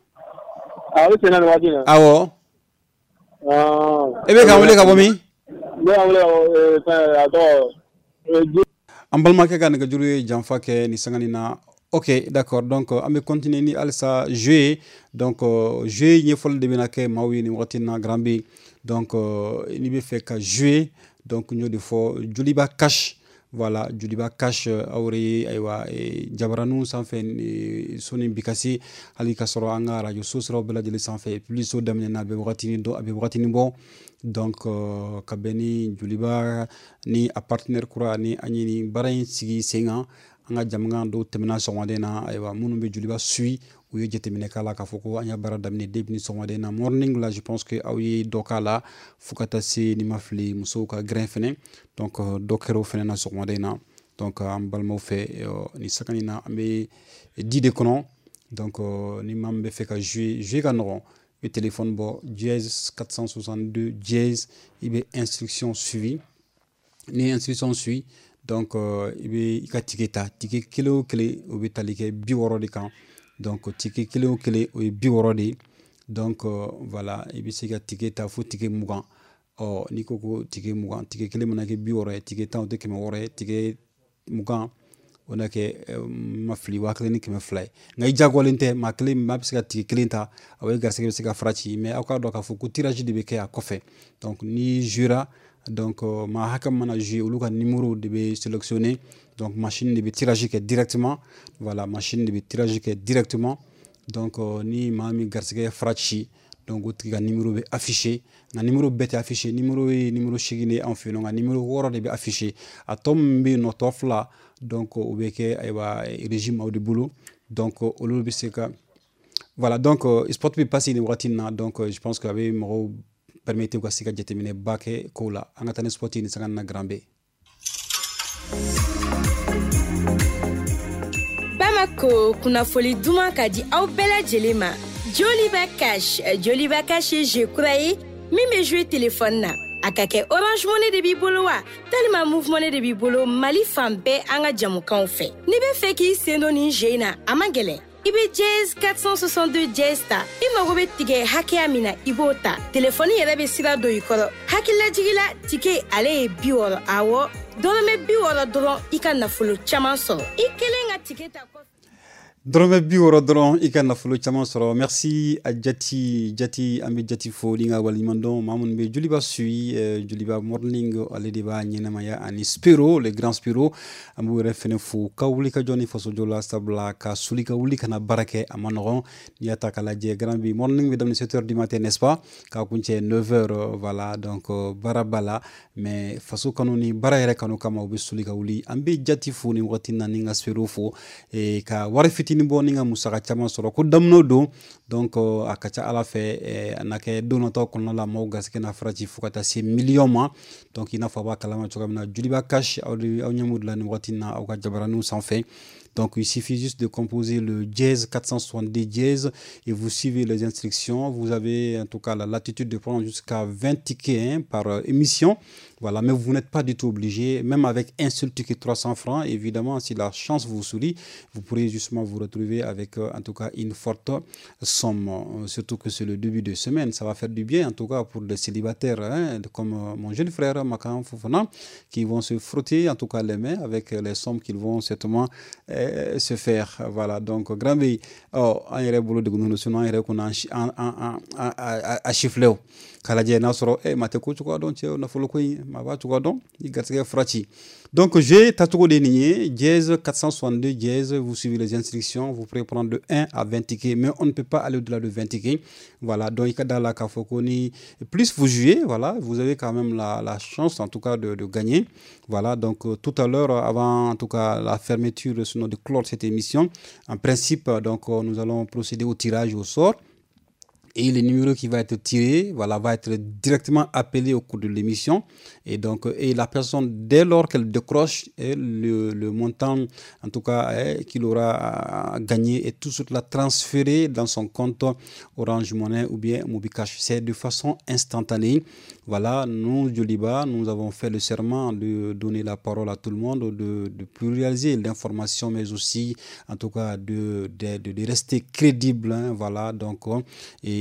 Ah, o bɛ sen na nin waati in na. Awɔ. Ah. E bɛ k'an wele ka bɔ min? Ne bɛ k'an wele ka bɔ fɛn, a tɔgɔ. An balimakɛ ka nɛgɛjuru ye janfa kɛ nin sanga nin na. Ok, d'accord. Donc an bɛ continuer ni halisa jeu ye. Donc jeu ɲɛfɔli de bɛna kɛ maaw ye nin wagati in na. Grand B, donc n'i bɛ fɛ ka jouer, donc n y'o de fɔ, Joliba Cash. Voilà, Joliba Cash, aw yɛrɛ ye ayiwa jabaraninw sanfɛ soni bi ka se hali ka sɔrɔ an ka radio so siraw bɛɛ lajɛlen sanfɛ. Publicité daminɛna, a bɛ wagatinin dɔn, a bɛ wagatinin bɔ. Donc ka bɛn ni Joliba ni a partenaire kura ni an ye nin baara in sigi sen kan, an ka jamukan dɔw tɛmɛna sɔgɔmaden na. Ayiwa, minnu bɛ Joliba suit, u ye jateminɛ k'a la k'a fɔ ko an ya baara daminɛ depuis ni sɔgɔmaden na morning la. Je pense que aw ye dɔ k'a la fo ka taa se, ni ma fili, musow ka grain fɛnɛ. Donc dɔ kɛra o fɛnɛ na sɔgɔmaden na. Donc an balimaw fɛ, nin sanga in na, an bɛ di de kɔnɔ. Donc ni maa min bɛ fɛ ka jouer, jouer ka nɔgɔn. I bɛ téléphone bɔ, dièse quatre cent soixante-deux dièse, i bɛ instruction suivi. Ni instruction suit, donc i bɛ i ka ticket ta. Ticket kelen o kelen, o bɛ tali kɛ bi wɔɔrɔ de kan. Donc ticket kelen o kelen, o ye bi wɔɔrɔ de ye. Donc voilà, i bɛ se ka ticket ta fo ticket mugan. Ɔ n'i ko ko ticket mugan, ticket kelen mana kɛ bi wɔɔrɔ ye, ticket tan, o tɛ kɛmɛ wɔɔrɔ ye. Ticket mugan, o na kɛ, ma fili, waa kelen ni kɛmɛ fila ye. Nka i diyagoyalen tɛ, maa kelen, maa bɛ se ka ticket kelen ta, a ye garisɛgɛ bɛ se ka fara ci. Mais aw k'a dɔn k'a fɔ ko tirage de bɛ kɛ a kɔfɛ. Donc ni jouera, donc maa hakɛ mana jouer, olu ka numéro de bɛ sélectionner. Donc machine de bɛ tirage kɛ directement. Voilà, machine de bɛ tirage kɛ directement. Donc ni maa min garisɛgɛ fara ci, donc o tigi ka numéro bɛ affiché. Nka numéro bɛɛ tɛ affiché. Numéro ye numéro seegin de ye anw fɛ yen nɔ, nka numéro wɔɔrɔ de bɛ affiché. A tɔ min bɛ yen nɔ, tɔ fila, donc o bɛ kɛ ayiwa régime aw de bolo. Donc olu bɛ se ka, voilà. Donc spot bɛ passer nin wagati in na. Donc je pense que a bɛ mɔgɔw permettre u ka se ka jateminɛ ba kɛ kow la. An ka taa ni spot ye nin sanga in na, Grand B. Bamako, kunnafoli duman ka di aw bɛɛ lajɛlen ma. Joliba Cash. Joliba Cash ye jeu kura ye min bɛ jouer téléphone na. A ka kɛ Orange Money de b'i bolo wa talima Moov Money de b'i bolo, Mali fan bɛɛ an ka jamukanw fɛ. N'i bɛ fɛ k'i sen don nin jeu in na, a man gɛlɛn. I bɛ dièse quatre cent soixante-deux dièse ta, i mago bɛ tigɛ hakɛya min na, i b'o ta, telefɔni yɛrɛ bɛ sira don i kɔrɔ. Hakililajigi la, ticket ale ye bi wɔɔrɔ. Awɔ, dɔrɔmɛ bi wɔɔrɔ dɔrɔn, i ka nafolo caman sɔrɔ. I kelen ka ticket ta kɔfɛ. Dɔrɔmɛ bi wɔɔrɔ dɔrɔn, i ka nafolo caman sɔrɔ. Merci a Jati Jati, an bɛ Jati fo ni ka waleɲuman dɔn. Maa minnu bɛ Joliba suit, Joliba Morning, ale de b'a ɲɛnamaya, ani Spiro, le grand Spiro, an b'u yɛrɛ fɛnɛ fo ka wuli ka jɔ ni fasojɔ la, sabula ka suli ka wuli ka na baara kɛ, a ma nɔgɔn. N'i y'a ta k'a lajɛ, Grand B, morning bɛ daminɛ sept heures du matin, n'est-ce pas, k'a kuncɛ neuf heures. Voilà, donc baara b'a la, mais faso kanu ni baara yɛrɛ kanu kama, u bɛ suli ka wuli. An bɛ Jati fo ni wagati na, ni ka Spiro fo ka wari fitinin. fitinin bɔ ni ka musaka caman sɔrɔ ko daminɛ don. Donc a ka ca ala fɛ a na kɛ don nataw kɔnɔna la maaw garisɛgɛ na faraji fo ka taa se miliyɔn ma. Donc i n'a fɔ a b'a kalama cogoya min na Joliba Cash aw de aw ɲɛ m'o de la nin waati in na aw ka jabaraninw sanfɛ. Donc il suffit juste de composer le dièse quatre cent soixante-dix dièse et vous suivez les instructions. Vous avez en tout cas la latitude de prendre jusqu'à vingt tickets hein, par émission. Voilà, mais vous n'êtes pas du tout obligé, même avec un seul ticket trois cents francs, évidemment, si la chance vous sourit, vous pourrez justement vous retrouver avec en tout cas une forte somme. Surtout que c'est le début de semaine, ça va faire du bien en tout cas pour les célibataires, hein, comme mon jeune frère Makan Fofana, qui vont se frotter en tout cas les mains avec les sommes qu'ils vont certainement euh, se faire. Voilà, donc grand B, oh, an yɛrɛ bolo degunnen don, sinon an yɛrɛ kun an a chiffré o k'a lajɛ n'a sɔrɔ eh ma tɛ ko cogoya dɔn cɛ nafolo ko in ma b'a cogoya dɔn i garisɛgɛ fura ci. Donc jeu tacogo de nin ye dièse quatre cent soixante-deux dièse, vous suivez les instructions, vous pouvez prendre de un à vingt tickets, mais on ne peut pas aller au-delà de vingt tickets. Voilà, donc i ka da la k'a fɔ ko ni plus vous jouez, voilà, vous avez quand même la, la chance en tout cas de, de gagner. Voilà, donc tout à l'heure, avant en tout cas la fermeture, sinon de clore cette émission, en principe, donc nous allons procéder au tirage au sort. Et le numéro qui va être tiré, voilà, va être directement appelé au cours de l'émission. Et donc, et la personne, dès lors qu'elle décroche, et le, le montant, en tout cas, qu'il aura gagné, est tout de suite la transféré dans son compte Orange Money ou bien MobiCash. C'est de façon instantanée. Voilà, nous, Joliba, nous avons fait le serment de donner la parole à tout le monde, de, de pluraliser l'information, mais aussi, en tout cas, de, de, de, de rester crédible. Hein, voilà, donc,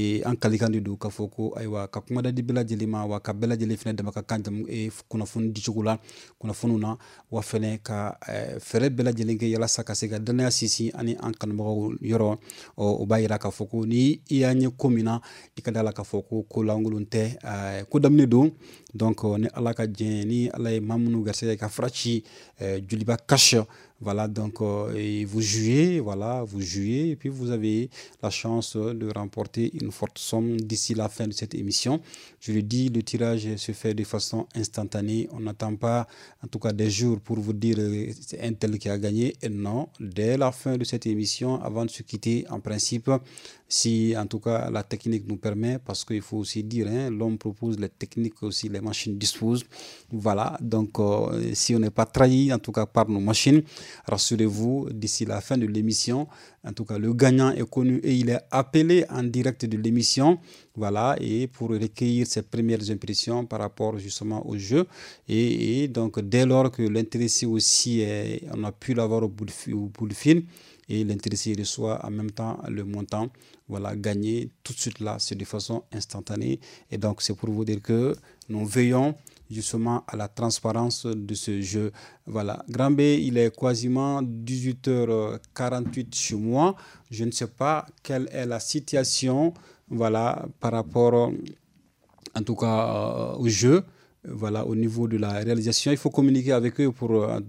et an kalikan de don k'a fɔ ko ayiwa ka kuma da di bɛɛ lajɛlen ma wa ka bɛɛ lajɛlen fɛnɛ dama ka kan jamu kunnafoni dicogo la kunnafoniw na wa fɛnɛ ka fɛɛrɛ bɛɛ lajɛlen kɛ yalasa ka se ka danaya sinsin ani an kanubagaw yɔrɔ. O b'a yira k'a fɔ ko ni i y'a ɲɛ ko min na i ka da la k'a fɔ ko ko lankolon tɛ, ko daminɛ don. Donc ni Ala ka jɛn ni Ala ye maa minnu garisɛgɛ ka fura ci Joliba Cash. Voilà, donc euh, et vous jouez, voilà, vous jouez, et puis vous avez la chance de remporter une forte somme d'ici la fin de cette émission. Je le dis, le tirage se fait de façon instantanée. On n'attend pas, en tout cas, des jours pour vous dire c'est un tel qui a gagné. Et non, dès la fin de cette émission, avant de se quitter, en principe, si en tout cas la technique nous permet, parce qu'il faut aussi dire, hein, l'homme propose les techniques aussi, les machines disposent. Voilà, donc euh, si on n'est pas trahi, en tout cas par nos machines, rassurez-vous, d'ici la fin de l'émission, en tout cas, le gagnant est connu et il est appelé en direct de l'émission. Voilà, et pour recueillir ses premières impressions par rapport justement au jeu. Et, et donc, dès lors que l'intéressé aussi, est, on a pu l'avoir au bout de, au bout du fil, et l'intéressé reçoit en même temps le montant, voilà, gagné tout de suite là, c'est de façon instantanée. Et donc, c'est pour vous dire que nous veillons justement à la transparence de ce jeu. Voilà, Grand B, il est quasiment dix-huit heures quarante-huit chez moi. Je ne sais pas quelle est la situation, voilà, par rapport en tout cas au jeu. Voilà, au niveau de la réalisation, il faut communiquer avec eux pour euh,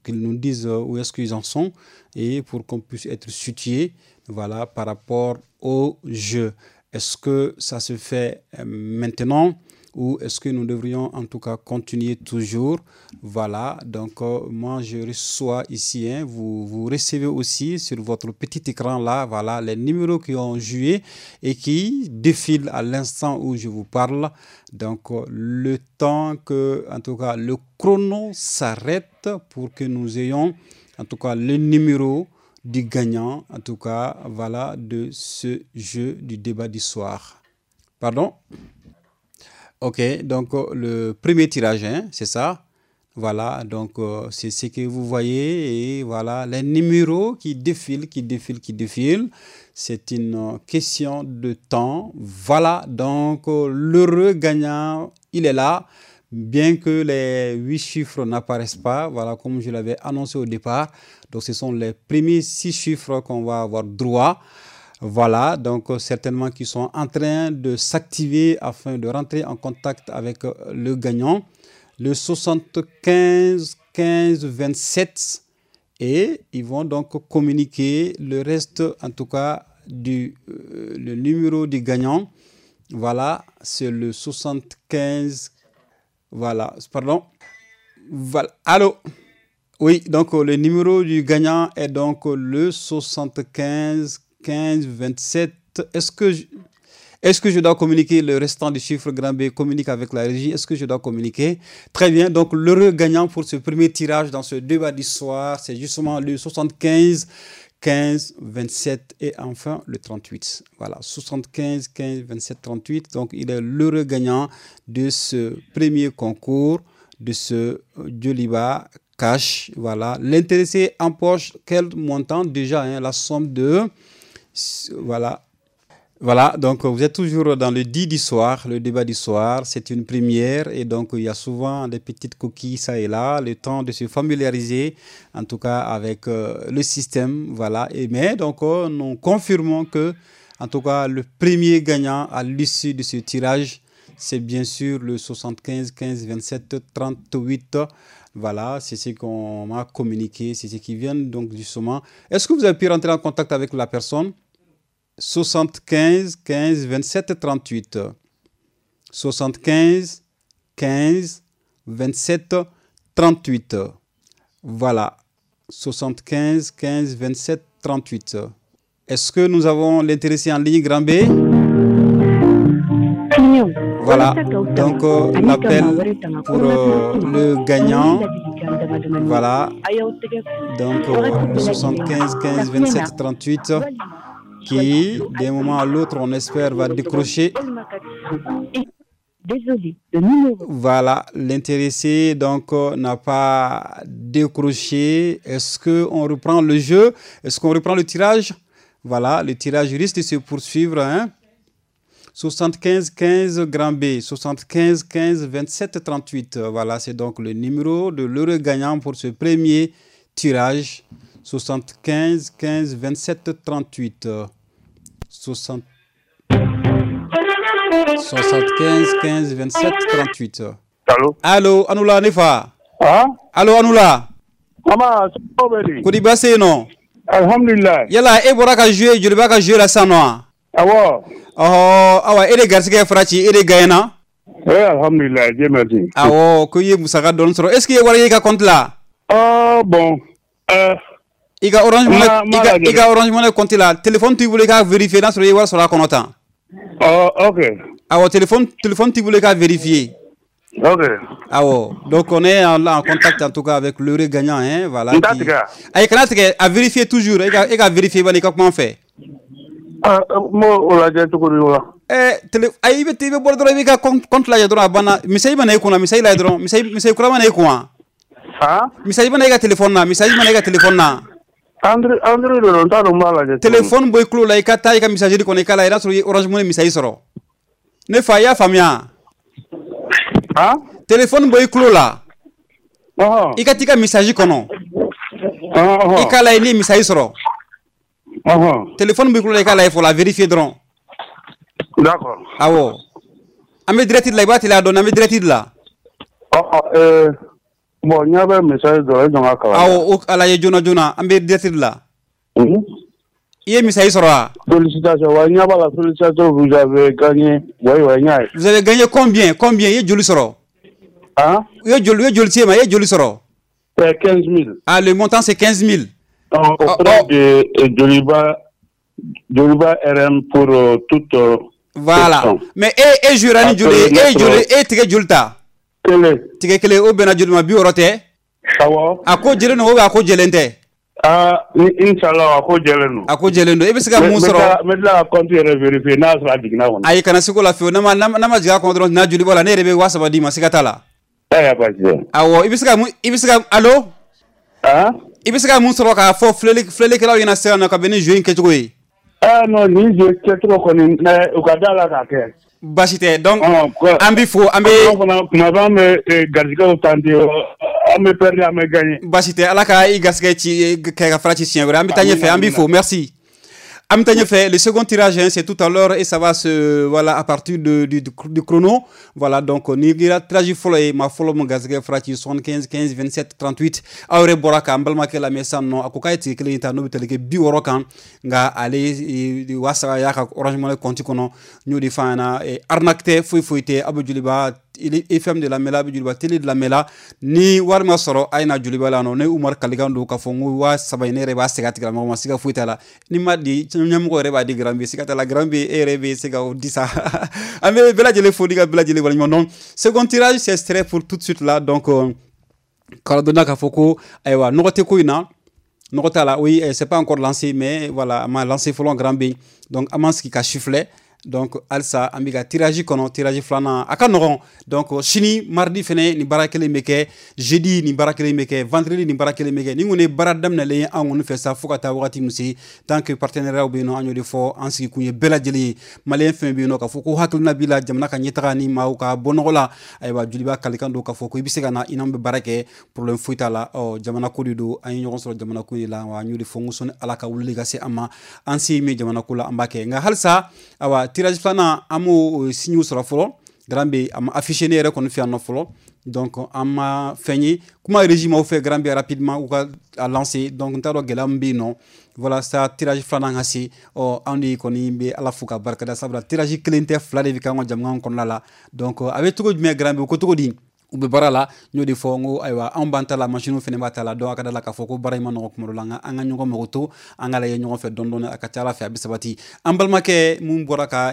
qu'ils nous disent où est-ce qu'ils en sont et pour qu'on puisse être situé, voilà, par rapport au jeu. Est-ce que ça se fait maintenant ou est-ce que nous devrions en tout cas continuer toujours? Voilà, donc euh, moi je reçois ici, hein, vous, vous recevez aussi sur votre petit écran là, voilà, les numéros qui ont joué et qui défilent à l'instant où je vous parle. Donc euh, le temps que, en tout cas, le chrono s'arrête pour que nous ayons en tout cas le numéro du gagnant, en tout cas, voilà, de ce jeu du débat du soir. Pardon? Ok, donc le premier tirage, hein, c'est ça. Voilà, donc euh, c'est ce que vous voyez. Et voilà, les numéros qui défilent, qui défilent, qui défilent. C'est une question de temps. Voilà, donc l'heureux gagnant, il est là. Bien que les huit chiffres n'apparaissent pas, voilà, comme je l'avais annoncé au départ. Donc ce sont les premiers six chiffres qu'on va avoir droit. Voilà, donc certainement qu'ils sont en train de s'activer afin de rentrer en contact avec le gagnant. Le soixante-quinze quinze vingt-sept, et ils vont donc communiquer le reste, en tout cas, du euh, le numéro du gagnant. Voilà, c'est le soixante-quinze. Voilà, pardon. Voilà. Allô? Oui, donc le numéro du gagnant est donc le soixante-quinze quinze vingt-sept. Est-ce que je, est-ce que je dois communiquer le restant du chiffre? Grand B communique avec la régie. Est-ce que je dois communiquer? Très bien. Donc, l'heureux gagnant pour ce premier tirage dans ce débat du soir, c'est justement le soixante-quinze quinze vingt-sept et enfin le trente-huit. Voilà, soixante-quinze quinze vingt-sept trente-huit. Donc, il est l'heureux gagnant de ce premier concours de ce Joliba Cash. Voilà, l'intéressé empoche quel montant déjà, hein, la somme de... Voilà. Voilà, donc vous êtes toujours dans le dit du soir, le débat du soir, c'est une première et donc il y a souvent des petites coquilles ça et là, le temps de se familiariser en tout cas avec euh, le système, voilà. Et mais donc euh, nous confirmons que en tout cas le premier gagnant à l'issue de ce tirage, c'est bien sûr le soixante-quinze quinze vingt-sept trente-huit. Voilà, c'est ce qu'on m'a communiqué, c'est ce qui vient donc justement. Est-ce que vous avez pu rentrer en contact avec la personne? soixante-quinze quinze vingt-sept trente-huit. soixante-quinze quinze vingt-sept trente-huit. Voilà. soixante-quinze quinze vingt-sept trente-huit. Est-ce que nous avons l'intéressé en ligne, Grand B? Voilà. Donc, euh, l'appel pour euh, le gagnant. Voilà. Donc, euh, soixante-quinze quinze vingt-sept trente-huit. Qui, d'un moment à l'autre, on espère, va décrocher. Désolé, le numéro. Voilà, l'intéressé donc n'a pas décroché. Est-ce qu'on reprend le jeu? Est-ce qu'on reprend le tirage? Voilà, le tirage risque de se poursuivre. Hein? soixante-quinze quinze Grand B, soixante-quinze quinze vingt-sept trente-huit. Voilà, c'est donc le numéro de l'heureux gagnant pour ce premier tirage. soixante-quinze quinze vingt-sept trente-huit. soixante-quinze quinze vingt-sept trente-huit. Allô? Allô, Anoula Nefa. Ah? Allô, Anoula. Mama, Kodi basse non? Alhamdulillah. Yala e bɔra ka jouer, Joliba ka jouer la sisan nɔ wa? Awɔ. Ɔhɔ, awa e de garisɛgɛ fara ci, e de gagnera. Eh, alhamdulillah, Dieu merci. Awɔ, ko i ye musaka dɔɔni sɔrɔ. Est-ce que i ye wari ye i ka compte la? Oh, bon. Euh, I ka Orange Money, i ka Orange Money compte la, téléphone t'i bolo i k'a vérifier n'a sɔrɔ i ye wari sɔrɔ a kɔnɔ tan. Oh, ok. Awɔ, téléphone téléphone t'i bolo i k'a vérifier. Ok. Awɔ, donc on est en, en contact en tout cas avec l'heureux gagnant, hein, voilà. N t'a tigɛ. Ayi, kana tigɛ, a vérifier toujours, i ka i ka vérifier bani i ka kuma n fɛ. Ah, n b'o o lajɛ cogo di o la? Eh, télé, ayi i bɛ i bɛ bɔ dɔrɔn i b'i ka compte compte lajɛ dɔrɔn a banna. Message mana e kunna, message lajɛ dɔrɔn, message message kura mana e kun wa? Ah? Message mana e ka téléphone na, message mana e ka téléphone na. Android Android de don, n t'a dɔn n b'a lajɛ. Téléphone bɔ i tulo la, i ka taa i ka messagerie kɔnɔ i k'a lajɛ n'a sɔrɔ i ye Orange Money message sɔrɔ. Ne fa, i y'a faamuya? Ah? Téléphone bɔ i tulo la. Ɔhɔn. I ka t'i ka message kɔnɔ. Ɔhɔn. I k'a lajɛ n'i ye message sɔrɔ. Ɔhɔn. Téléphone b'i tulo la, i k'a lajɛ fɔlɔ, a vérifier dɔrɔn. D'accord. Awɔ. An bɛ direct de la, i b'a teliya dɔɔni, an bɛ direct de la. Ɔhɔn, euh bon, n ɲɛ bɛ message dɔ la, i jɔ n ka kalan. Awɔ, o a lajɛ joona joona, an bɛ direct de la. Unhun. I ye message sɔrɔ wa? Félicitations, wa n ɲɛ b'a la, félicitations, vous avez gagné. Oui, oui, n y'a ye. Vous avez gagné combien? Combien? I ye joli sɔrɔ? Hein? I ye joli, i ye joli ci e ma, i ye joli sɔrɔ? C'est quinze mille. Ah, le montant c'est quinze mille. Donc, auprès oh, oh. de Joliba, Joliba R M pour euh, toute. Euh, voilà. Question. Mais e e jouera ni joli, e joli, e tigɛ joli ta? Kelen. Tigɛ kelen, o bɛnna joli ma? Bi wɔɔrɔ tɛ? Awɔ. A ko jɛlen don ou bien a ko jɛlen tɛ? Ah, ni inchallah a ko jɛlen don. A ko jɛlen don. E bɛ se ka mun sɔrɔ? N bɛ tila ka compte yɛrɛ vérifier n'a sɔrɔ a jiginna kɔnɔ. Ayi, kana se k'o la fiyewu. N'a ma n'a ma jigin a kɔnɔ dɔrɔn, n'a joli bɔ la, ne yɛrɛ bɛ waa saba d'i ma, siga t'a la. Ayiwa, baasi tɛ. Awɔ, i bɛ se ka mun, i bɛ se ka, allo? Ah? I bɛ se ka mun sɔrɔ k'a fɔ filɛli filɛlikɛlaw ɲɛna sisan nɔ ka bɛn ni jeu in kɛcogo ye? Ah non, nin jeu kɛcogo kɔni, u ka da la k'a kɛ. Baasi tɛ. Donc an b'i fo, an bɛ. An fana tuma bɛɛ an bɛ garijɛgɛw tenter, an bɛ perdre, an bɛ gagner. Baasi tɛ, Ala ka i garijɛgɛ ci kɛ ka fara ci siɲɛ wɛrɛ. An bɛ taa ɲɛfɛ, an b'i fo, merci. An bɛ taa ɲɛfɛ, le second tirage, hein, c'est tout à l'heure et ça va se, voilà, à partir de, du, du chrono. Voilà, donc ni kɛra tirage fɔlɔ ye, maa fɔlɔ min garijɛgɛ fara ci soixante-quinze quinze vingt-sept trente-huit. Aw yɛrɛ bɔra k'an balimakɛ lamɛn sisan nɔ, a ko k'a ye tigɛ kelen ta n'o bɛ tali kɛ bi wɔɔrɔ kan, nka ale waa saba y'a ka Orange Money compte kɔnɔ. N y'o de f'a ɲɛna, arnaque tɛ, foyi foyi tɛ, aw bɛ Joliba F M de lamɛnla, a bɛ Joliba télé de lamɛnla. Ni wari ma sɔrɔ a ye na Joliba la nɔ. Ne Umar Kalikan don k'a fɔ n ko waa saba in ne yɛrɛ b'a segin a tigilamɔgɔ ma, siga foyi t'a la. Ni ma di ɲɛmɔgɔ yɛrɛ b'a di Grand B, siga t'a la. Grand B e yɛrɛ bɛ se ka o di sa. An bɛ bɛɛ lajɛlen fo ni ka bɛɛ lajɛlen waleɲuman dɔn. Second tirage, c'est extrait pour tout de suite là. Donc k'a dɔnna k'a fɔ ko ayiwa nɔgɔ tɛ ko in na. Nɔgɔ t'a la, oui, c'est pas encore lancé, mais voilà, a ma lancé fɔlɔ Grand B. Donc an m'an sigi ka siffler. Donc halisa an bɛ ka tirage kɔnɔ, tirage filanan a ka nɔgɔn. Donc sini mardi fɛnɛ nin baara kelen bɛ kɛ, jeudi nin baara kelen bɛ kɛ, vendredi nin baara kelen bɛ kɛ. Nin kɔni ye baara daminɛlen ye an kɔni fɛ sa fo ka taa wagati min se. Tant que partenariat bɛ yen nɔ, an y'o de fɔ, an sigi kun ye bɛɛ lajɛlen ye. Maliyɛn fɛn bɛ yen nɔ k'a fɔ ko hakilina b'i la jamana ka ɲɛtaga ni maaw ka bɔ nɔgɔ la, ayiwa Joliba Kalikan don k'a fɔ ko i bɛ se ka na i n'an bɛ baara kɛ, problème foyi t'a la. Ɔ jamana ko de don, an ye ɲɔgɔn sɔrɔ jamana ko de la, wa an y'o de fɔ n ko sɔnni Ala ka wulili ka se an ma, an se min jamana ko la an b'a kɛ. Nka halisa ayiwa tirage filanan an m'o signe sɔrɔ fɔlɔ. Grand B a ma affiché ne yɛrɛ kɔni fɛ yan nɔ fɔlɔ. Donc an ma fɛn ye kuma régime aw fɛ Grand B rapidement u ka a lancer. Donc n t'a dɔn gɛlɛya min bɛ yen nɔ, voilà sa tirage filanan ka se. Ɔ anw de kɔni bɛ Ala fo ka barikada, sabula tirage kelen tɛ, fila de bɛ kɛ an ka jamana kɔnɔna la. Donc a bɛ cogo jumɛn Grand B ko cogo di? U bɛ baara la, n y'o de fɔ n ko ayiwa anw b'an ta la, machine fɛnɛ b'a ta la. Donc a ka da la k'a fɔ ko baara in ma nɔgɔn kuma dɔ la, nka an ka ɲɔgɔn mago to, an ka lajɛ ɲɔgɔn fɛ dɔɔni dɔɔni, a ka ca Ala fɛ a bɛ sabati. An balimakɛ mun bɔra ka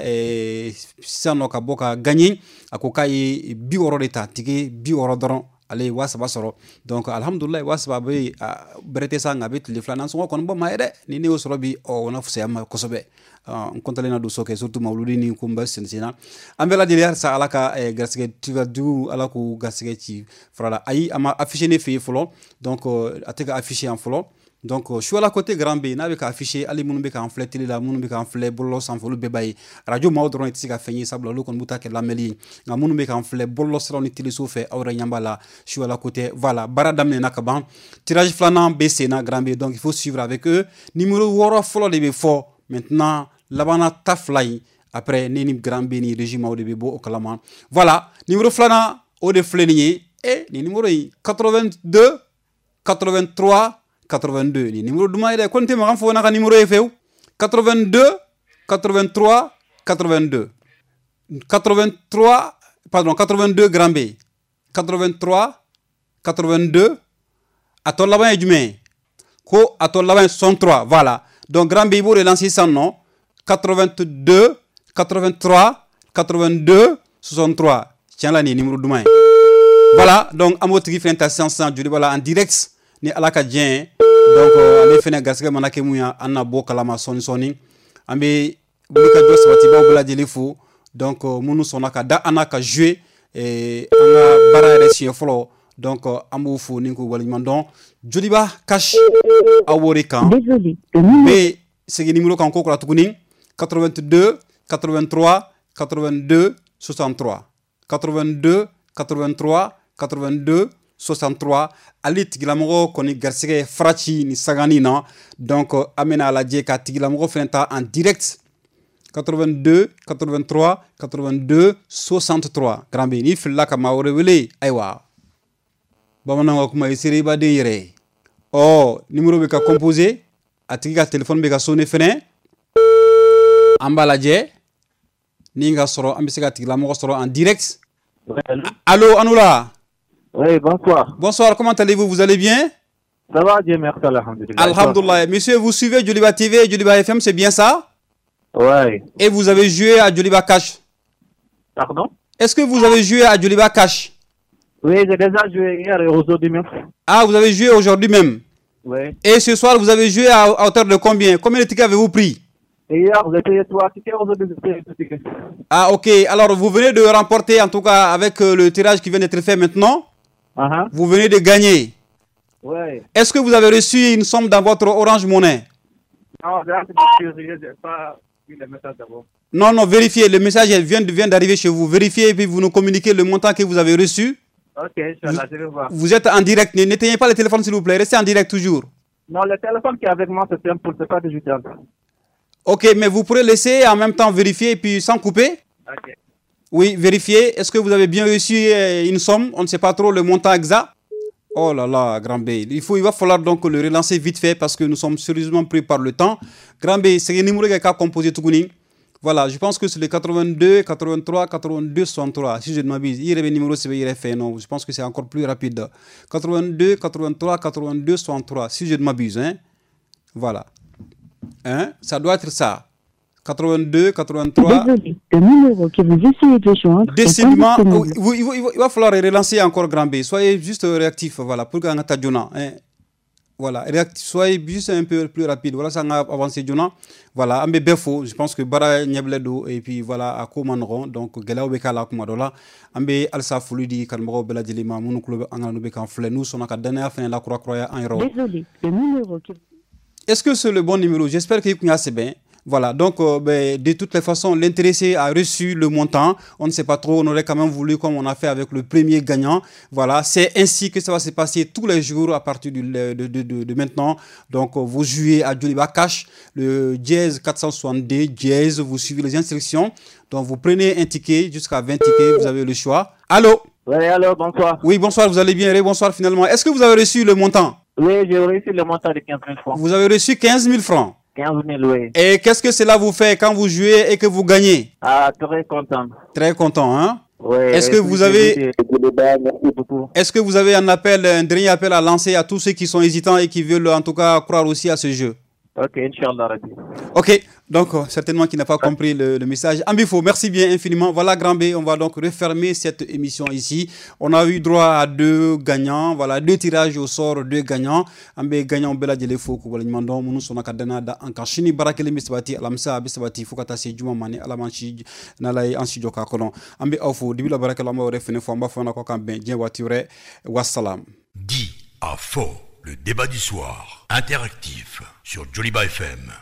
sisan nɔ ka bɔ ka gagner, a ko k'a ye bi wɔɔrɔ de ta, tike bi wɔɔrɔ dɔrɔn, ale ye waa saba sɔrɔ. Donc alhamdulilayi, waa saba bɛ bɛrɛ tɛ sa, nka a bɛ tile fila nasɔngɔ kɔni bɔ maa ye dɛ. Ni ne y'o sɔrɔ bi, ɔ o na fisaya ma kosɛbɛ. N kɔntalen na don so kɛ, surtout mawuludi ni ko n bɛ sen sen na. An bɛɛ lajɛlen halisa Ala ka garisɛgɛ jugu, Ala k'u garisɛgɛ ci fara la. Ayi, a ma affiché ne fɛ yen fɔlɔ. Donc a tɛ ka affiché yan fɔlɔ. Donc Suala côté Grand B n'a bɛ ka affiché, hali minnu bɛ k'an filɛ télé la, minnu bɛ k'an filɛ bɔlɔlɔ sanfɛ, olu bɛɛ b'a ye. Radio maaw dɔrɔn tɛ se ka fɛn ye, sabula olu kɔni b'u ta kɛ lamɛnli ye. Nka minnu bɛ k'an filɛ bɔlɔlɔ siraw ni téléso fɛ, aw yɛrɛ ɲɛ b'a la. Suala côté, voilà, baara daminɛna ka ban. Tirage filanan bɛ sen na Grand B, donc il faut suivre avec eux. Numéro wɔɔrɔ fɔlɔ de bɛ fɔ maintenant, labanna ta fila in après ne ni Grand B ni régime maaw de bɛ bɔ o kalama. Voilà, numéro filanan o de filɛ nin ye. Eh, nin numéro in quatre-vingt-deux quatre-vingt-trois quatre-vingt-deux, ni numéro duman ye dɛ, ko n tɛ makan fɔ n'a ka numéro ye fewu. quatre-vingt-deux quatre-vingt-trois quatre-vingt-deux quatre-vingt-trois, pardon, quatre-vingt-deux Grand B quatre-vingt-trois quatre-vingt-deux, a tɔ laban ye jumɛn ye? Ko a tɔ laban ye soixante-trois. Voilà, donc Grand B i b'o de lancer sisan nɔ, quatre-vingt-deux quatre-vingt-trois quatre-vingt-deux soixante-trois. Tiɲɛ la nin ye numéro duman ye. Voilà, donc an b'o tigi fɛnɛ ta sisan sisan Joliba la en direct ni Ala ka diɲɛ ye. Donc ale fɛnɛ garisɛgɛ mana kɛ mun ye, an na bɔ kalama sɔɔni sɔɔni. An bɛ wulikajɔ sabatibaw bɛɛ lajɛlen fo. Donc minnu sɔnna ka da an n'a ka jouer an ka baara yɛrɛ siɲɛ fɔlɔ. Donc an b'u fo ni k'u waleɲuman dɔn. Joliba Cash aw b'o de kan. N bɛ segin numéro kan ko kura tuguni, quatre-vingt-deux quatre-vingt-trois quatre-vingt-deux soixante-trois quatre-vingt-deux quatre-vingt-trois quatre-vingt-deux soixante-trois. Ale tigilamɔgɔ kɔni garisɛgɛ faraci ni sangani na. Donc an bɛna a lajɛ ka tigilamɔgɔ fɛnɛ ta en direct, quatre-vingt-deux quatre-vingt-trois quatre-vingt-deux soixante-trois. Grand B, n'i filila ka maa wɛrɛ wele, ayiwa bamananw ka kuma i sera i baden yɛrɛ ye. Ɔ numéro bɛ ka composer, a tigi ka téléphone bɛ ka sonner fɛnɛ. An b'a lajɛ ni ka sɔrɔ an bɛ se ka tigilamɔgɔ sɔrɔ en direct. Allô, Anoula. Oui, bonsoir. Bonsoir, comment allez-vous? Vous allez bien? Ça va, Dieu merci, alhamdoulilah. Alhamdoulilah. Monsieur, vous suivez Joliba T V et Joliba F M, c'est bien ça? Oui. Et vous avez joué à Joliba Cash? Pardon? Est-ce que vous avez joué à Joliba Cash? Oui, j'ai déjà joué hier et aujourd'hui même. Ah, vous avez joué aujourd'hui même? Oui. Et ce soir, vous avez joué à, à hauteur de combien? Combien de tickets avez-vous pris? Hier, j'ai payé trois tickets, aujourd'hui, j'ai payé deux tickets. Ah, ok. Alors, vous venez de remporter, en tout cas, avec le tirage qui vient d'être fait maintenant, uh-huh. Vous venez de gagner. Oui. Est-ce que vous avez reçu une somme dans votre Orange Money? Non, je n'ai pas vu le message d'abord. Non, non, vérifiez. Le message vient, vient d'arriver chez vous. Vérifiez et puis vous nous communiquez le montant que vous avez reçu. Ok, Inch'Allah, je vais voir. Vous êtes en direct. N'éteignez pas le téléphone, s'il vous plaît. Restez en direct toujours. Non, le téléphone qui est avec moi, c'est simple, c'est pas digital. Ok, mais vous pourrez laisser en même temps vérifier et puis sans couper. Ok. Oui, vérifiez. Est-ce que vous avez bien reçu une somme? On ne sait pas trop le montant exact. Oh là là, Grand B. Il faut, il va falloir donc le relancer vite fait parce que nous sommes sérieusement pris par le temps. Grand B, c'est un numéro qui a composé tout. Voilà, je pense que c'est le quatre-vingt-deux, quatre-vingt-trois, quatre-vingt-deux, soixante-trois. Si je ne m'abuse, il y a le numéro, c'est non, je pense que c'est encore plus rapide. quatre-vingt-deux, quatre-vingt-trois, quatre-vingt-deux, soixante-trois, si je ne m'abuse. Hein? Voilà. Hein? Ça doit être ça. quatre-vingt-deux, quatre-vingt-trois. Désolé, le numéro que vous essayez de joindre. Décidément, il, il, il va falloir relancer encore Grand B. Soyez juste réactif, voilà, pour qu'on ait hein. Voilà, soyez juste un peu plus rapide. Voilà, ça a avancé joona. Voilà, an bɛ bɛɛ fo. Je pense que baara ɲɛbila don et puis voilà, a ko man nɔgɔn. Donc gɛlɛyaw bɛ k'a la kuma dɔ la. An bɛ halisa foli di kanubagaw bɛɛ lajɛlen ma minnu tulo bɛ an kan n'u bɛ k'an filɛ n'u sɔnna ka danaya fana lakurakuraya an yɛrɛ. Désolé, le numéro qui... Est-ce que c'est le bon numéro? J'espère qu'il y a c'est bien. Voilà, donc euh, ben, de toutes les façons, l'intéressé a reçu le montant. On ne sait pas trop, on aurait quand même voulu comme on a fait avec le premier gagnant. Voilà, c'est ainsi que ça va se passer tous les jours à partir du, de, de, de, de maintenant. Donc, vous jouez à Joliba Cash, le dièse quatre cent soixante-deux, dièse, vous suivez les instructions. Donc, vous prenez un ticket, jusqu'à vingt tickets, vous avez le choix. Allô? Oui, allô, bonsoir. Oui, bonsoir, vous allez bien? Bonsoir finalement. Est-ce que vous avez reçu le montant? Oui, j'ai reçu le montant de quinze mille francs. Vous avez reçu quinze mille francs? quinze mille, oui. Et qu'est-ce que cela vous fait quand vous jouez et que vous gagnez? Ah, très content. Très content, hein? Oui. Est-ce que vous avez... Merci beaucoup. Est-ce que vous avez un appel, un dernier appel à lancer à tous ceux qui sont hésitants et qui veulent en tout cas croire aussi à ce jeu? Ok, Inch'Allah. Ok, donc certainement qui n'a pas compris le, le message. Ambifo, merci bien infiniment. Voilà, Grand B, on va donc refermer cette émission ici. On a eu droit à deux gagnants, voilà, deux tirages au sort, deux gagnants. Ambe gagnant bela djele fo ko wala nyumandon munu sona ka dana da an kan sini barakele mi sabati alamsa be sabati fo ka taa se juma mani ala man si n'ala ye an si jɔ k'a kɔnɔ. An bɛ aw fo dibi la barakɛla an b'aw yɛrɛ fɛnɛ fo an b'a fɔ an ko k'an bɛn diɲɛ waati wɛrɛ. Wassalam. Di a fo. Le débat du soir, interactif, sur Joliba F M.